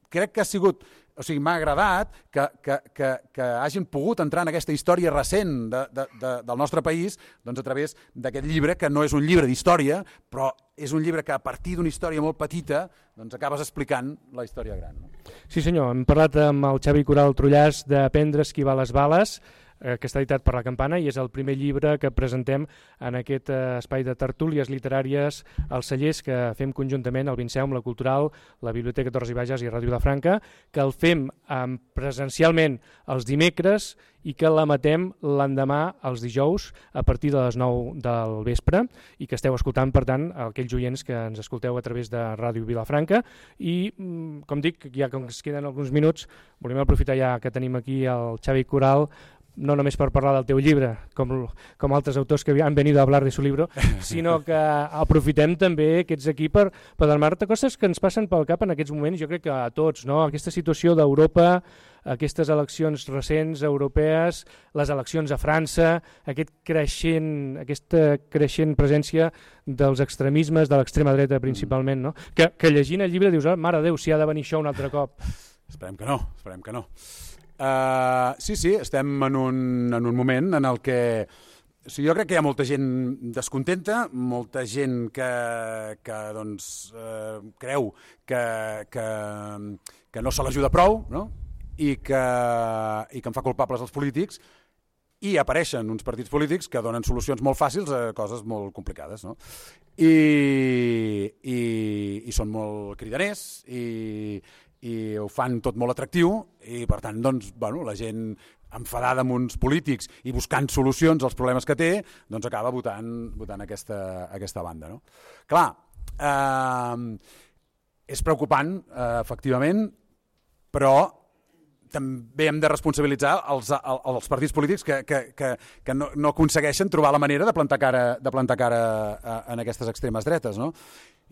B: crec que ha sigut, o sigui, m'ha agradat que, que, que, que hagin pogut entrar en aquesta història recent de, de, de, del nostre país doncs a través d'aquest llibre, que no és un llibre d'història, però és un llibre que a partir d'una història molt petita doncs acabes explicant la història gran. No?
A: Sí senyor, hem parlat amb el Xavi Coral Trullàs d'Aprendre a esquivar les bales, que està editat per La Campana i és el primer llibre que presentem en aquest espai de tertúlies literàries als cellers que fem conjuntament el Vinceum, la Cultural, la Biblioteca Torres i Bages i Ràdio Vilafranca, que el fem presencialment els dimecres i que l'emetem l'endemà els dijous a partir de les nou del vespre i que esteu escoltant, per tant, aquells oients que ens escolteu a través de Ràdio Vilafranca i, com dic, ja que ens queden alguns minuts, volem aprofitar ja que tenim aquí el Xavi Coral no només per parlar del teu llibre, com, com altres autors que han venido a hablar de su libro, sinó que aprofitem també aquests aquí per, per donar-te coses que ens passen pel cap en aquests moments, jo crec que a tots, no? Aquesta situació d'Europa, aquestes eleccions recents europees, les eleccions a França, aquest creixent, aquesta creixent presència dels extremismes, de l'extrema dreta principalment, no? Que, que llegint el llibre dius, oh, mare de Déu, si ha de venir això un altre cop.
B: Esperem que no, esperem que no. Uh, sí, sí, estem en un, en un moment en el que o sigui, jo crec que hi ha molta gent descontenta, molta gent que, que doncs, uh, creu que, que, que no se l'ajuda prou, no? I, que, i que en fa culpables els polítics, i apareixen uns partits polítics que donen solucions molt fàcils a coses molt complicades, no? I, i, i són molt cridaners i i ho fan tot molt atractiu i per tant doncs, bueno, la gent enfadada amb uns polítics i buscant solucions als problemes que té, doncs acaba votant, votant aquesta, aquesta banda, no? Clar, eh, és preocupant, eh, efectivament, però també hem de responsabilitzar els, els partits polítics que, que, que, que no, no aconsegueixen trobar la manera de plantar cara, de plantar cara en aquestes extremes dretes, no?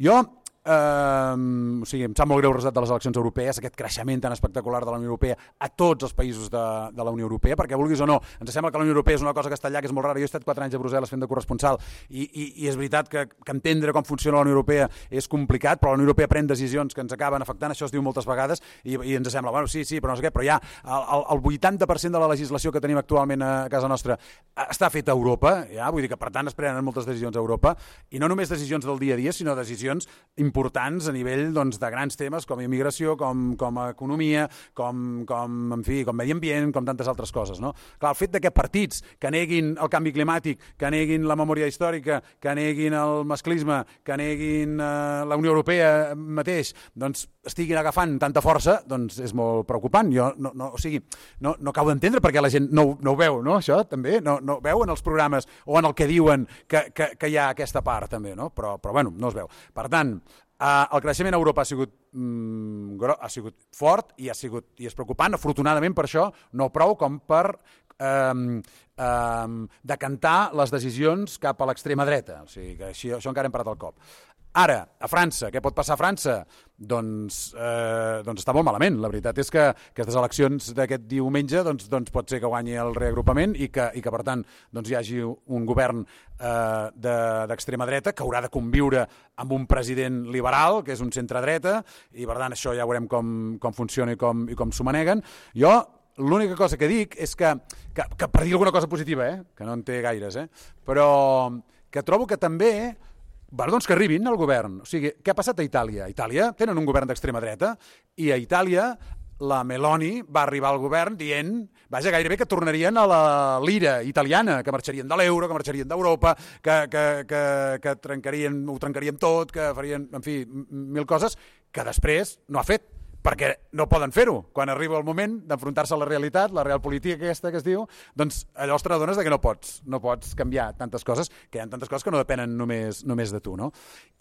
B: Jo Uh, o sigui, em sap molt greu el resultat de les eleccions europees, aquest creixement tan espectacular de la Unió Europea a tots els països de, de la Unió Europea, perquè vulguis o no, ens sembla que la Unió Europea és una cosa que està allà, que és molt rara. Jo he estat quatre anys a Brussel·les fent de corresponsal i, i, i és veritat que, que entendre com funciona la Unió Europea és complicat, però la Unió Europea pren decisions que ens acaben afectant, això es diu moltes vegades, i, i ens sembla, bueno, sí, sí, però no sé què, però ja el, el vuitanta per cent de la legislació que tenim actualment a casa nostra està feta a Europa, ja, vull dir que per tant es prenen moltes decisions a Europa, i no només decisions del dia a dia, sinó decisions importants a nivell doncs, de grans temes com immigració, com, com economia, com, com, en fi, com medi ambient, com tantes altres coses, no? Clar, el fet de que partits que neguin el canvi climàtic, que neguin la memòria històrica, que neguin el masclisme, que neguin eh, la Unió Europea mateix, doncs estiguin agafant tanta força, doncs és molt preocupant. Jo no, no, o sigui, no, no acabo d'entendre perquè la gent no, no ho veu, no? Això també, no, no veu en els programes o en el que diuen que, que, que hi ha aquesta part també, no? Però, però bueno, no es veu. Per tant, Uh, el creixement a Europa ha sigut, mm, gro- ha sigut fort i, ha sigut, i és preocupant, afortunadament per això, no prou com per um, um, decantar les decisions cap a l'extrema dreta. O sigui que així, això encara hem parat el cop. Ara, a França, què pot passar a França? Doncs, eh, doncs està molt malament. La veritat és que aquestes eleccions d'aquest diumenge doncs, doncs pot ser que guanyi el reagrupament i que, i que per tant, doncs hi hagi un govern eh, de, d'extrema dreta que haurà de conviure amb un president liberal, que és un centre-dreta, i per tant això ja veurem com, com funciona i com, i com s'ho maneguen. Jo l'única cosa que dic és que, que, que per dir alguna cosa positiva, eh, que no en té gaires, eh, però que trobo que també Bueno, doncs que arribin al govern. O sigui, què ha passat a Itàlia? A Itàlia tenen un govern d'extrema dreta i a Itàlia la Meloni va arribar al govern dient, vaja, gairebé que tornarien a la lira italiana, que marxarien de l'euro, que marxarien d'Europa, que, que, que, que trencarien, ho trencarien tot, que farien, en fi, mil coses que després no ha fet, perquè no poden fer-ho. Quan arriba el moment d'enfrontar-se a la realitat, la realpolitik aquesta que es diu, doncs llavors te n'adones que no pots, no pots canviar tantes coses, que hi ha tantes coses que no depenen només, només de tu, no?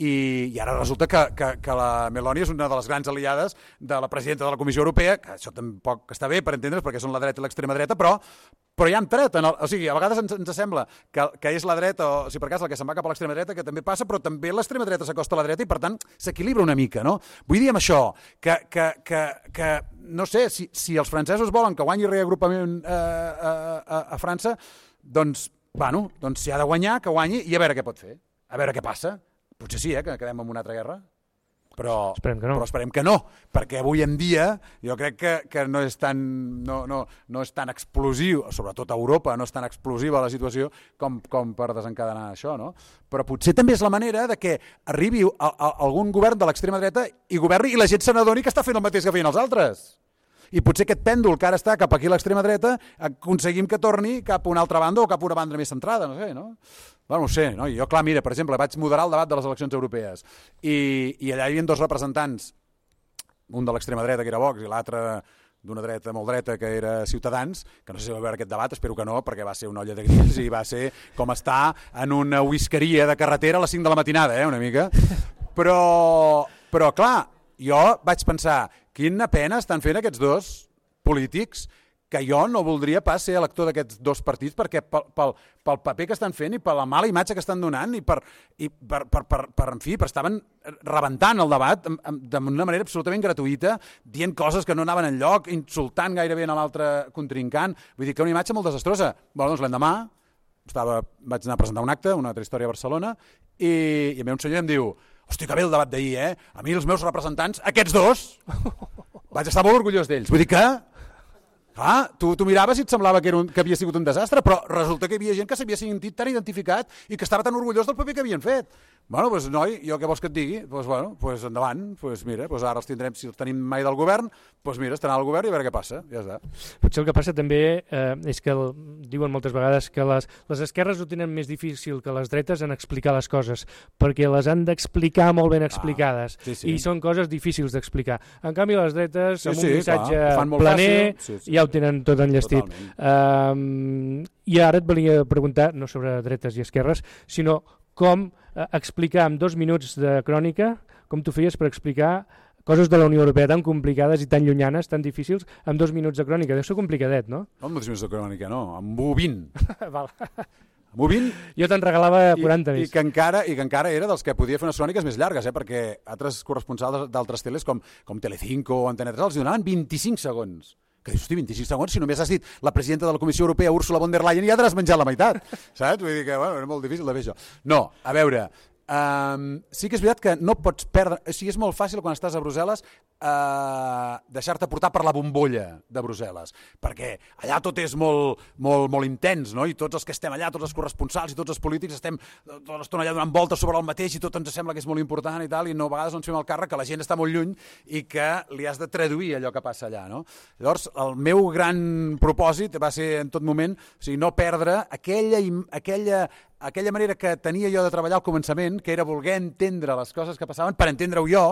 B: I, i ara resulta que, que, que la Meloni és una de les grans aliades de la presidenta de la Comissió Europea, que això tampoc està bé per entendre's, perquè són la dreta i l'extrema dreta, però però ja han tret, en el, o sigui, a vegades ens, ens sembla que, que és la dreta, o si per cas la que se'n va cap a l'extrema dreta, que també passa, però també l'extrema dreta s'acosta a la dreta i per tant s'equilibra una mica, no? Vull dir amb això que, que, que, que no sé, si, si els francesos volen que guanyi reagrupament eh, a, a, a França, doncs, bueno, doncs si ha de guanyar, que guanyi i a veure què pot fer, a veure què passa. Potser sí, eh, que quedem en una altra guerra. Però esperem, no. però esperem que no, perquè avui en dia jo crec que, que no, és tan, no, no, no és tan explosiu, sobretot a Europa, no és tan explosiva la situació com, com per desencadenar això, no? Però potser també és la manera de que arribi a, a, algun govern de l'extrema dreta i governi i la gent se n'adoni que està fent el mateix que feien els altres. I potser aquest pèndol que ara està cap aquí a l'extrema dreta aconseguim que torni cap a una altra banda o cap a una banda més centrada, no sé, no? Bueno, no sé, no? Jo, clar, mira, per exemple, vaig moderar el debat de les eleccions europees i, i allà hi havia dos representants, un de l'extrema dreta, que era Vox, i l'altre d'una dreta molt dreta, que era Ciutadans, que no sé si va veure aquest debat, espero que no, perquè va ser una olla de grills i va ser com estar en una whiskeria de carretera a les cinc de la matinada, eh, una mica. Però, però clar, jo vaig pensar, quina pena estan fent aquests dos polítics que jo no voldria pas ser elector d'aquests dos partits perquè pel, pel, pel paper que estan fent i per la mala imatge que estan donant i per, i per, per, per, per en fi, per estaven rebentant el debat d'una manera absolutament gratuïta, dient coses que no anaven enlloc, insultant gairebé a l'altre contrincant. Vull dir que una imatge molt desastrosa. Bueno, doncs l'endemà estava, vaig anar a presentar un acte, una altra història a Barcelona, i, i a mi un senyor em diu: hosti, que bé el debat d'ahir, eh? A mi els meus representants, aquests dos, vaig estar molt orgullós d'ells. Vull dir que ah, tu, tu miraves i et semblava que, era un, que havia sigut un desastre, però resulta que hi havia gent que s'havia sentit tan identificat i que estava tan orgullós del paper que havien fet. Bueno, doncs noi, jo què vols que et digui? Doncs bueno, doncs endavant, doncs mira, doncs ara els tindrem, si els tenim mai del govern, doncs mira, estaran al govern i a veure què passa, ja està.
A: Potser el que passa també eh, és que el, diuen moltes vegades que les, les esquerres ho tenen més difícil que les dretes en explicar les coses, perquè les han d'explicar molt ben explicades, ah, sí, sí. I són coses difícils d'explicar. En canvi, les dretes, sí, amb un sí, missatge clar, planer, sí, sí. Ja ho tenen tot enllestit. Um, I ara et volia preguntar, no sobre dretes i esquerres, sinó com eh, explicar en dos minuts de crònica, com tu feies per explicar coses de la Unió Europea tan complicades i tan llunyanes, tan difícils, en dos minuts de crònica. Deu ser complicadet, no?
B: No, en dos minuts de crònica, no, amb u vint.
A: Val.
B: Amb u vint.
A: Jo te'n regalava quaranta
B: I,
A: més.
B: I, que encara, I que encara era dels que podia fer unes cròniques més llargues, eh? Perquè altres corresponsals d'altres teles, com, com Telecinco o Antena tres, els donaven vint-i-cinc segons. Que dius, hosti, vint-i-cinc segons, si només has dit la presidenta de la Comissió Europea, Ursula von der Leyen, i ja t'has menjat la meitat, saps? Vull dir que, bueno, era molt difícil de fer això. No, a veure, um, sí que és veritat que no pots perdre, o sigui, és molt fàcil quan estàs a Brussel·les uh, deixar-te portar per la bombolla de Brussel·les, perquè allà tot és molt, molt, molt intens, no? I tots els que estem allà, tots els corresponsals i tots els polítics estem tota l'estona allà donant voltes sobre el mateix i tot ens sembla que és molt important i tal, i no, a vegades no ens fem el càrrec que la gent està molt lluny i que li has de traduir allò que passa allà, no? Llavors, el meu gran propòsit va ser en tot moment, o sigui, no perdre aquella, aquella, aquella manera que tenia jo de treballar al començament, que era voler entendre les coses que passaven per entendre-ho jo,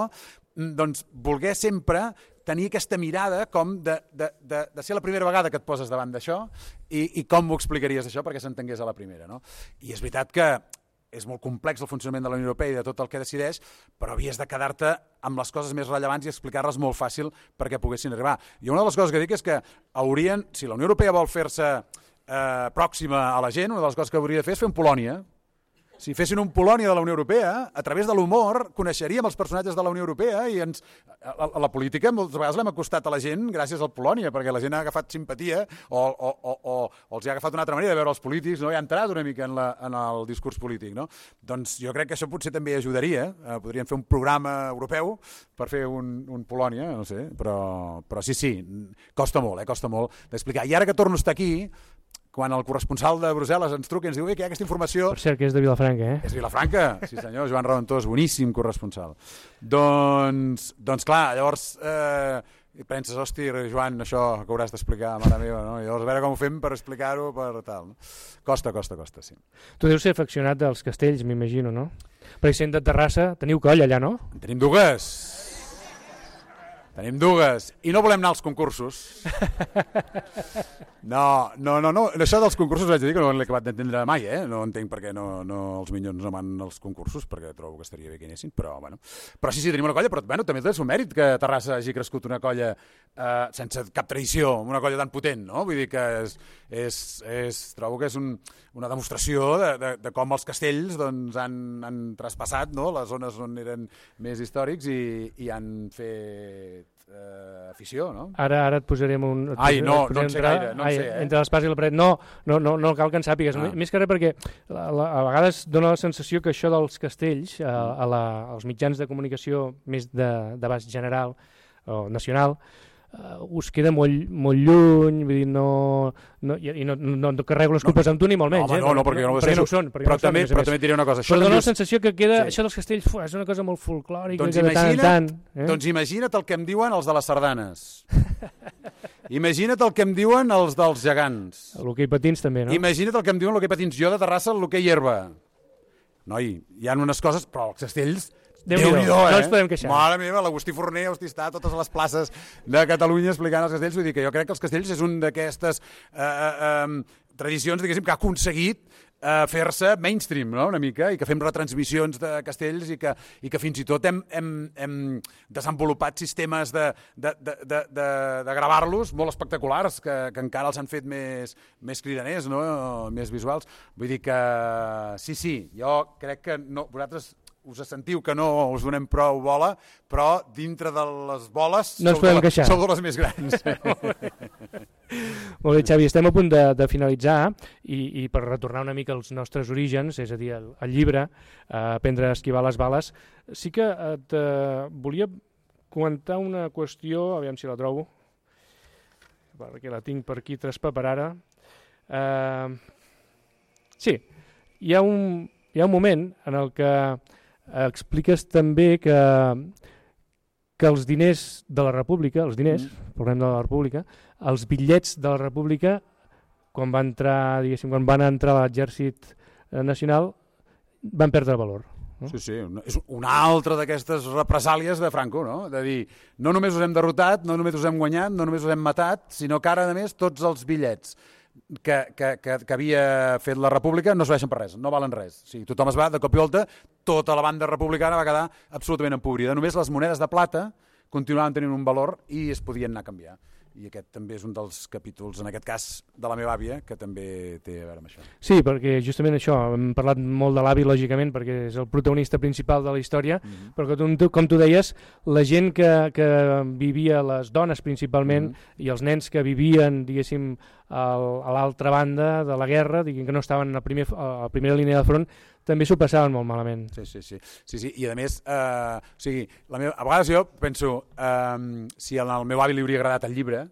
B: doncs voler sempre tenir aquesta mirada com de, de, de, de ser la primera vegada que et poses davant d'això i, i com m'ho explicaries això perquè s'entengués a la primera, no? I és veritat que és molt complex el funcionament de la Unió Europea i de tot el que decideix, però havies de quedar-te amb les coses més rellevants i explicar-les molt fàcil perquè poguessin arribar. I una de les coses que dic és que haurien, si la Unió Europea vol fer-se eh, pròxima a la gent, una de les coses que hauria de fer és fer un Polònia. Si fessin un Polònia de la Unió Europea, a través de l'humor coneixeríem els personatges de la Unió Europea i ens, a, a la política moltes vegades l'hem acostat a la gent gràcies al Polònia, perquè la gent ha agafat simpatia o, o, o, o, o els ha agafat una altra manera de veure els polítics, no? I ha entrat una mica en, la, en el discurs polític, no? Doncs jo crec que això potser també ajudaria, eh, podrien fer un programa europeu per fer un, un Polònia, no sé, però, però sí, sí, costa molt, eh, costa molt d'explicar. I ara que torno a estar aquí, quan el corresponsal de Brussel·les ens truca i ens diu que hi ha aquesta informació...
A: Per cert, que és de Vilafranca, eh?
B: És Vilafranca, sí senyor, Joan Raventós, boníssim corresponsal. Doncs, doncs clar, llavors eh, penses, hosti, Joan, això que hauràs d'explicar, mare meva, no? I llavors a veure com ho fem per explicar-ho, per tal. No? Costa, costa, costa, sí.
A: Tu deus ser afeccionat dels castells, m'imagino, no? Perquè sent de Terrassa, teniu coll allà, no?
B: En tenim dues. Tenim dues. I no volem anar als concursos. No, no, no, no. Això dels concursos vaig dir que no l'he acabat d'entendre mai, eh? No entenc per què no, no els minyons no van als concursos, perquè trobo que estaria bé que hi anessin, però bueno. Però sí, sí, tenim una colla, però bueno, també té el seu mèrit que Terrassa hagi crescut una colla eh, sense cap tradició, una colla tan potent, no? Vull dir que és, és, és, trobo que és un, una demostració de, de, de com els castells doncs, han, han traspassat, no? Les zones on eren més històrics i, i han fet Uh, afició, no?
A: Ara, ara et posarem un... Et
B: Ai, no, no en sé
A: entrar,
B: gaire, no
A: ai,
B: en sé, eh?
A: Entre l'espasa i la paret. No, no, no, no cal que en sàpigues. Ah. Més que res perquè la, la, a vegades dona la sensació que això dels castells a, a la, als mitjans de comunicació més d'abast general o nacional uh, us queda molt, molt lluny, vull dir, no, no, i no, no, no carrego les culpes no, amb tu ni molt menys.
B: Home,
A: eh?
B: no, no, perquè no,
A: perquè no ho són.
B: Però,
A: no
B: també,
A: són,
B: però també et diré una cosa.
A: Això però dona
B: dius...
A: la sensació que queda,
B: sí.
A: això dels castells fu, és una cosa molt folclòrica.
B: Doncs,
A: que
B: imagina't,
A: de tant en tant, eh?
B: doncs imagina't el que em diuen els de les sardanes. Imagina't el que em diuen els dels gegants.
A: L'hoquei patins també, no?
B: Imagina't el que em diuen l'hoquei patins. Jo de Terrassa, l'hoquei herba. Noi, hi ha unes coses, però els castells...
A: Déu-n'hi-do,
B: eh?
A: no ens podem queixar.
B: Mare meva, l'Agustí Forner, hosti, està a totes les places de Catalunya explicant els castells. Vull dir que jo crec que els castells és un d'aquestes eh, eh, tradicions, diguéssim, que ha aconseguit uh, fer-se mainstream, no? Una mica, i que fem retransmissions de castells i que, i que fins i tot hem, hem, hem desenvolupat sistemes de, de, de, de, de, de gravar-los molt espectaculars, que, que encara els han fet més, més cridaners, no? Més visuals. Vull dir que sí, sí, jo crec que no, vosaltres us sentiu que no us donem prou bola, però dintre de les boles
A: no
B: sou, de la, sou de les més grans.
A: Molt bé, Xavi, estem a punt de, de finalitzar i, i per retornar una mica als nostres orígens, és a dir, el, el llibre, eh, aprendre a esquivar les bales, sí que et eh, volia comentar una qüestió, aviam si la trobo, perquè la tinc per aquí traspaperada. Eh, sí, hi ha, un, hi ha un moment en el que expliques també que, que els diners de la República, els diners, mm. parlem de la República, els bitllets de la República, quan van entrar, diguéssim, quan van entrar a l'exèrcit nacional, van perdre valor. No?
B: Sí, sí, és una altra d'aquestes represàlies de Franco, no? De dir, no només us hem derrotat, no només us hem guanyat, no només us hem matat, sinó que ara, a més, tots els bitllets que, que, que, que havia fet la República no serveixen per res, no valen res. O sigui, tothom es va, de cop i volta, tota la banda republicana va quedar absolutament empobrida. Només les monedes de plata continuaven tenint un valor i es podien anar a canviar. I aquest també és un dels capítols, en aquest cas, de la meva àvia, que també té a veure amb això.
A: Sí, perquè justament això, hem parlat molt de l'avi, lògicament, perquè és el protagonista principal de la història, mm-hmm. però com tu, com tu deies, la gent que, que vivia, les dones principalment, mm-hmm. i els nens que vivien, diguéssim, al, a l'altra banda de la guerra, diguem que no estaven a, primer, a la primera línia de front, també s'ho passaven molt malament.
B: Sí, sí, sí. sí, sí. I a més, eh, o sigui, la meva, a vegades jo penso, eh, si al meu avi li hauria agradat el llibre,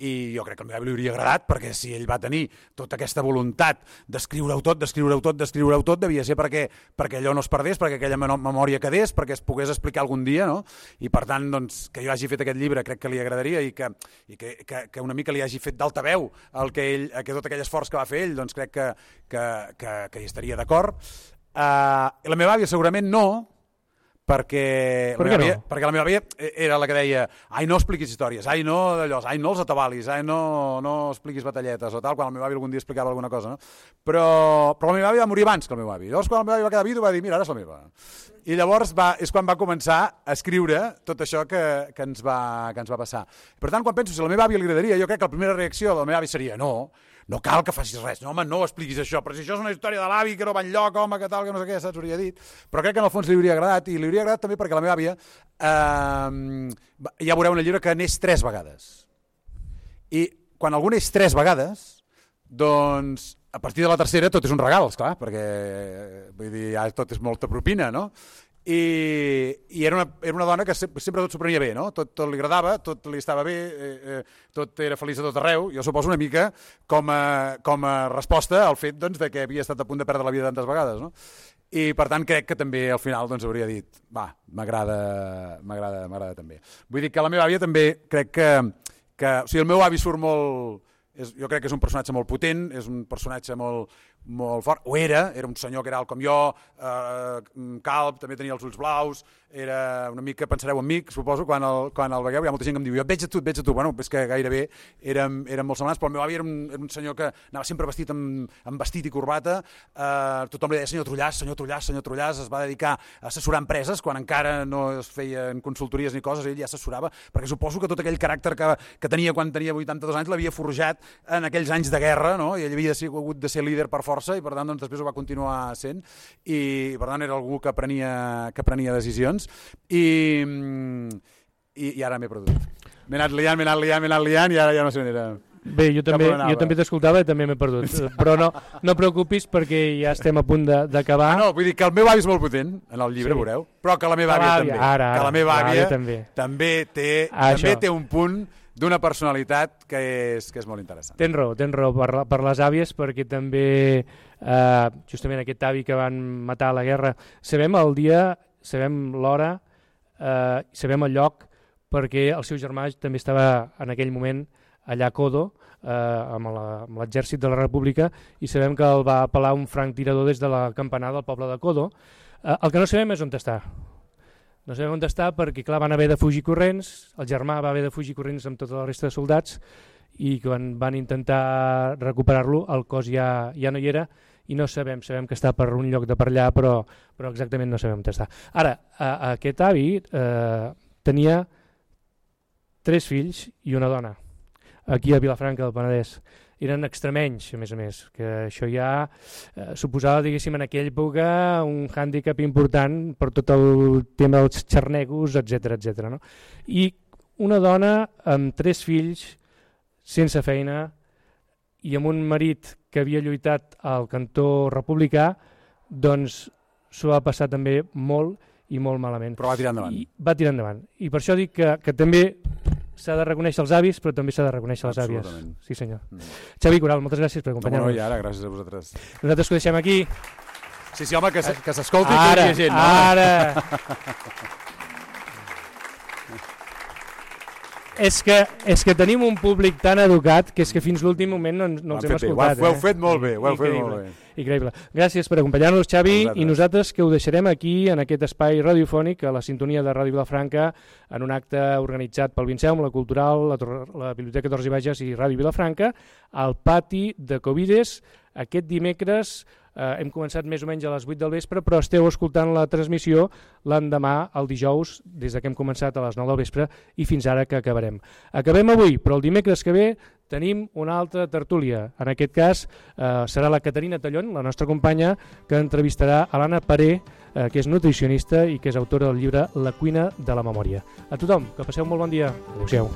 B: i jo crec que al meu avi li hauria agradat, perquè si ell va tenir tota aquesta voluntat d'escriure-ho tot, d'escriure-ho tot, d'escriure-ho tot, devia ser perquè, perquè allò no es perdés, perquè aquella memòria quedés, perquè es pogués explicar algun dia, no? I per tant, doncs, que jo hagi fet aquest llibre crec que li agradaria i que, i que, que, que una mica li hagi fet d'altaveu el que ell, que tot aquell esforç que va fer ell, doncs crec que, que, que, que hi estaria d'acord. Uh, la meva àvia segurament no, perquè,
A: per
B: la meva
A: no?
B: àvia, perquè la meva àvia era la que deia ai, no expliquis històries, ai, no d'allò, ai, no els atabalis, ai, no, no expliquis batalletes o tal, quan el meu avi algun dia explicava alguna cosa, no? Però, però la meva àvia va morir abans que el meu avi. Llavors, quan el meu avi va quedar vidu, va dir, mira, ara és la meva. I llavors va, és quan va començar a escriure tot això que, que, ens va, que ens va passar. Per tant, quan penso si a la meva àvia li agradaria, jo crec que la primera reacció de la meva àvia seria no, no cal que facis res, no, home, no expliquis això, però si això és una història de l'avi que no va enlloc, home, que tal, que no sé què, saps, hauria dit. Però crec que en el fons li hauria agradat, i li hauria agradat també perquè la meva àvia, eh, ja veureu en el llibre que n'és tres vegades. I quan algú n'és tres vegades, doncs a partir de la tercera tot és un regal, esclar, perquè vull dir, ja tot és molta propina, no? I, i era, una, era una dona que sempre, sempre tot s'ho prenia bé, no? Tot, tot li agradava, tot li estava bé, eh, eh, tot era feliç a tot arreu, jo suposo una mica com a, com a resposta al fet, doncs, de que havia estat a punt de perdre la vida tantes vegades, no? I per tant crec que també al final doncs, hauria dit va, m'agrada m'agrada m'agrada també. Vull dir que la meva àvia també crec que, que o sigui, el meu avi surt molt, és, jo crec que és un personatge molt potent, és un personatge molt, molt fort, o era, era un senyor que era alt com jo, eh, calb, també tenia els ulls blaus, era una mica, pensareu en mi, suposo, quan el, quan el vegueu, hi ha molta gent que em diu, jo et veig a tu, et veig a tu, bueno, és que gairebé érem, érem molt semblants, però el meu avi era un, era un senyor que anava sempre vestit amb, amb vestit i corbata, eh, tothom li deia senyor Trullàs, senyor Trullàs, senyor Trullàs, es va dedicar a assessorar empreses, quan encara no es feien consultories ni coses, ell ja assessorava, perquè suposo que tot aquell caràcter que, que tenia quan tenia vuitanta-dos anys l'havia forjat en aquells anys de guerra, no? I ell havia hagut de ser líder per força i per tant doncs, després ho va continuar sent i per tant era algú que prenia, que prenia decisions i, i, i ara m'he perdut. M'he anat liant, m'he anat liant, m'he anat liant i ara ja no sé on era.
A: Bé, jo també, jo també t'escoltava i també m'he perdut, però no, no preocupis perquè ja estem a punt d'acabar.
B: Ah, no, vull dir que el meu avi és molt potent en el llibre, sí. Veureu, però que la meva àvia, àvia també.
A: Ara, ara,
B: que la meva àvia
A: també.
B: també té,
A: ah,
B: també té un punt d'una personalitat que és, que és molt interessant.
A: Tens raó, tens raó per, per les àvies, perquè també eh, justament aquest avi que van matar a la guerra, sabem el dia, sabem l'hora, eh, sabem el lloc, perquè el seu germà també estava en aquell moment allà a Codo, eh, amb l'exèrcit de la República, i sabem que el va apel·lar un franc tirador des de la campanada del poble de Codo. Eh, el que no sabem és on està. No sabem on està perquè, clar, van haver de fugir corrents, el germà va haver de fugir corrents amb tota la resta de soldats i quan van intentar recuperar-lo el cos ja, ja no hi era i no sabem, sabem que està per un lloc de per allà, però, però exactament no sabem on està. Ara, a, a aquest avi eh, tenia tres fills i una dona, aquí a Vilafranca del Penedès. Eren extremenys, a més a més, que això ja eh, suposava, diguéssim, en aquella època un hàndicap important per tot el tema dels xarnegos, etcètera, etcètera, no? I una dona amb tres fills, sense feina, i amb un marit que havia lluitat al cantó republicà, doncs s'ho va passar també molt i molt malament.
B: Però va tirar endavant.
A: I va tirar endavant. I per això dic que, que també s'ha de reconèixer els avis, però també s'ha de reconèixer les àvies. Sí, senyor. Mm. Xavi Coral, moltes gràcies per acompanyar-nos.
B: No, no, i ara, gràcies a vosaltres.
A: Nosaltres que ho deixem aquí.
B: Sí, sí, home, que, que s'escolti
A: ara,
B: que hi ha gent. No?
A: Ara! És que, és que tenim un públic tan educat que és que fins l'últim moment no, no els hem escoltat.
B: Ho heu fet molt bé, ho heu fet molt bé.
A: Increïble. Gràcies per acompanyar-nos, Xavi, i nosaltres que ho deixarem aquí, en aquest espai radiofònic, a la sintonia de Ràdio Vilafranca, en un acte organitzat pel Vinceum, la Cultural, la, la Biblioteca Torres i Bages i Ràdio Vilafranca, al pati de Covides, aquest dimecres. Uh, hem començat més o menys a les vuit del vespre, però esteu escoltant la transmissió l'endemà, el dijous, des que hem començat a les nou del vespre i fins ara que acabarem. Acabem avui, però el dimecres que ve tenim una altra tertúlia. En aquest cas uh, serà la Caterina Tallón, la nostra companya, que entrevistarà a l'Anna Paré, uh, que és nutricionista i que és autora del llibre La cuina de la memòria. A tothom, que passeu un molt bon dia. Adéu-siau.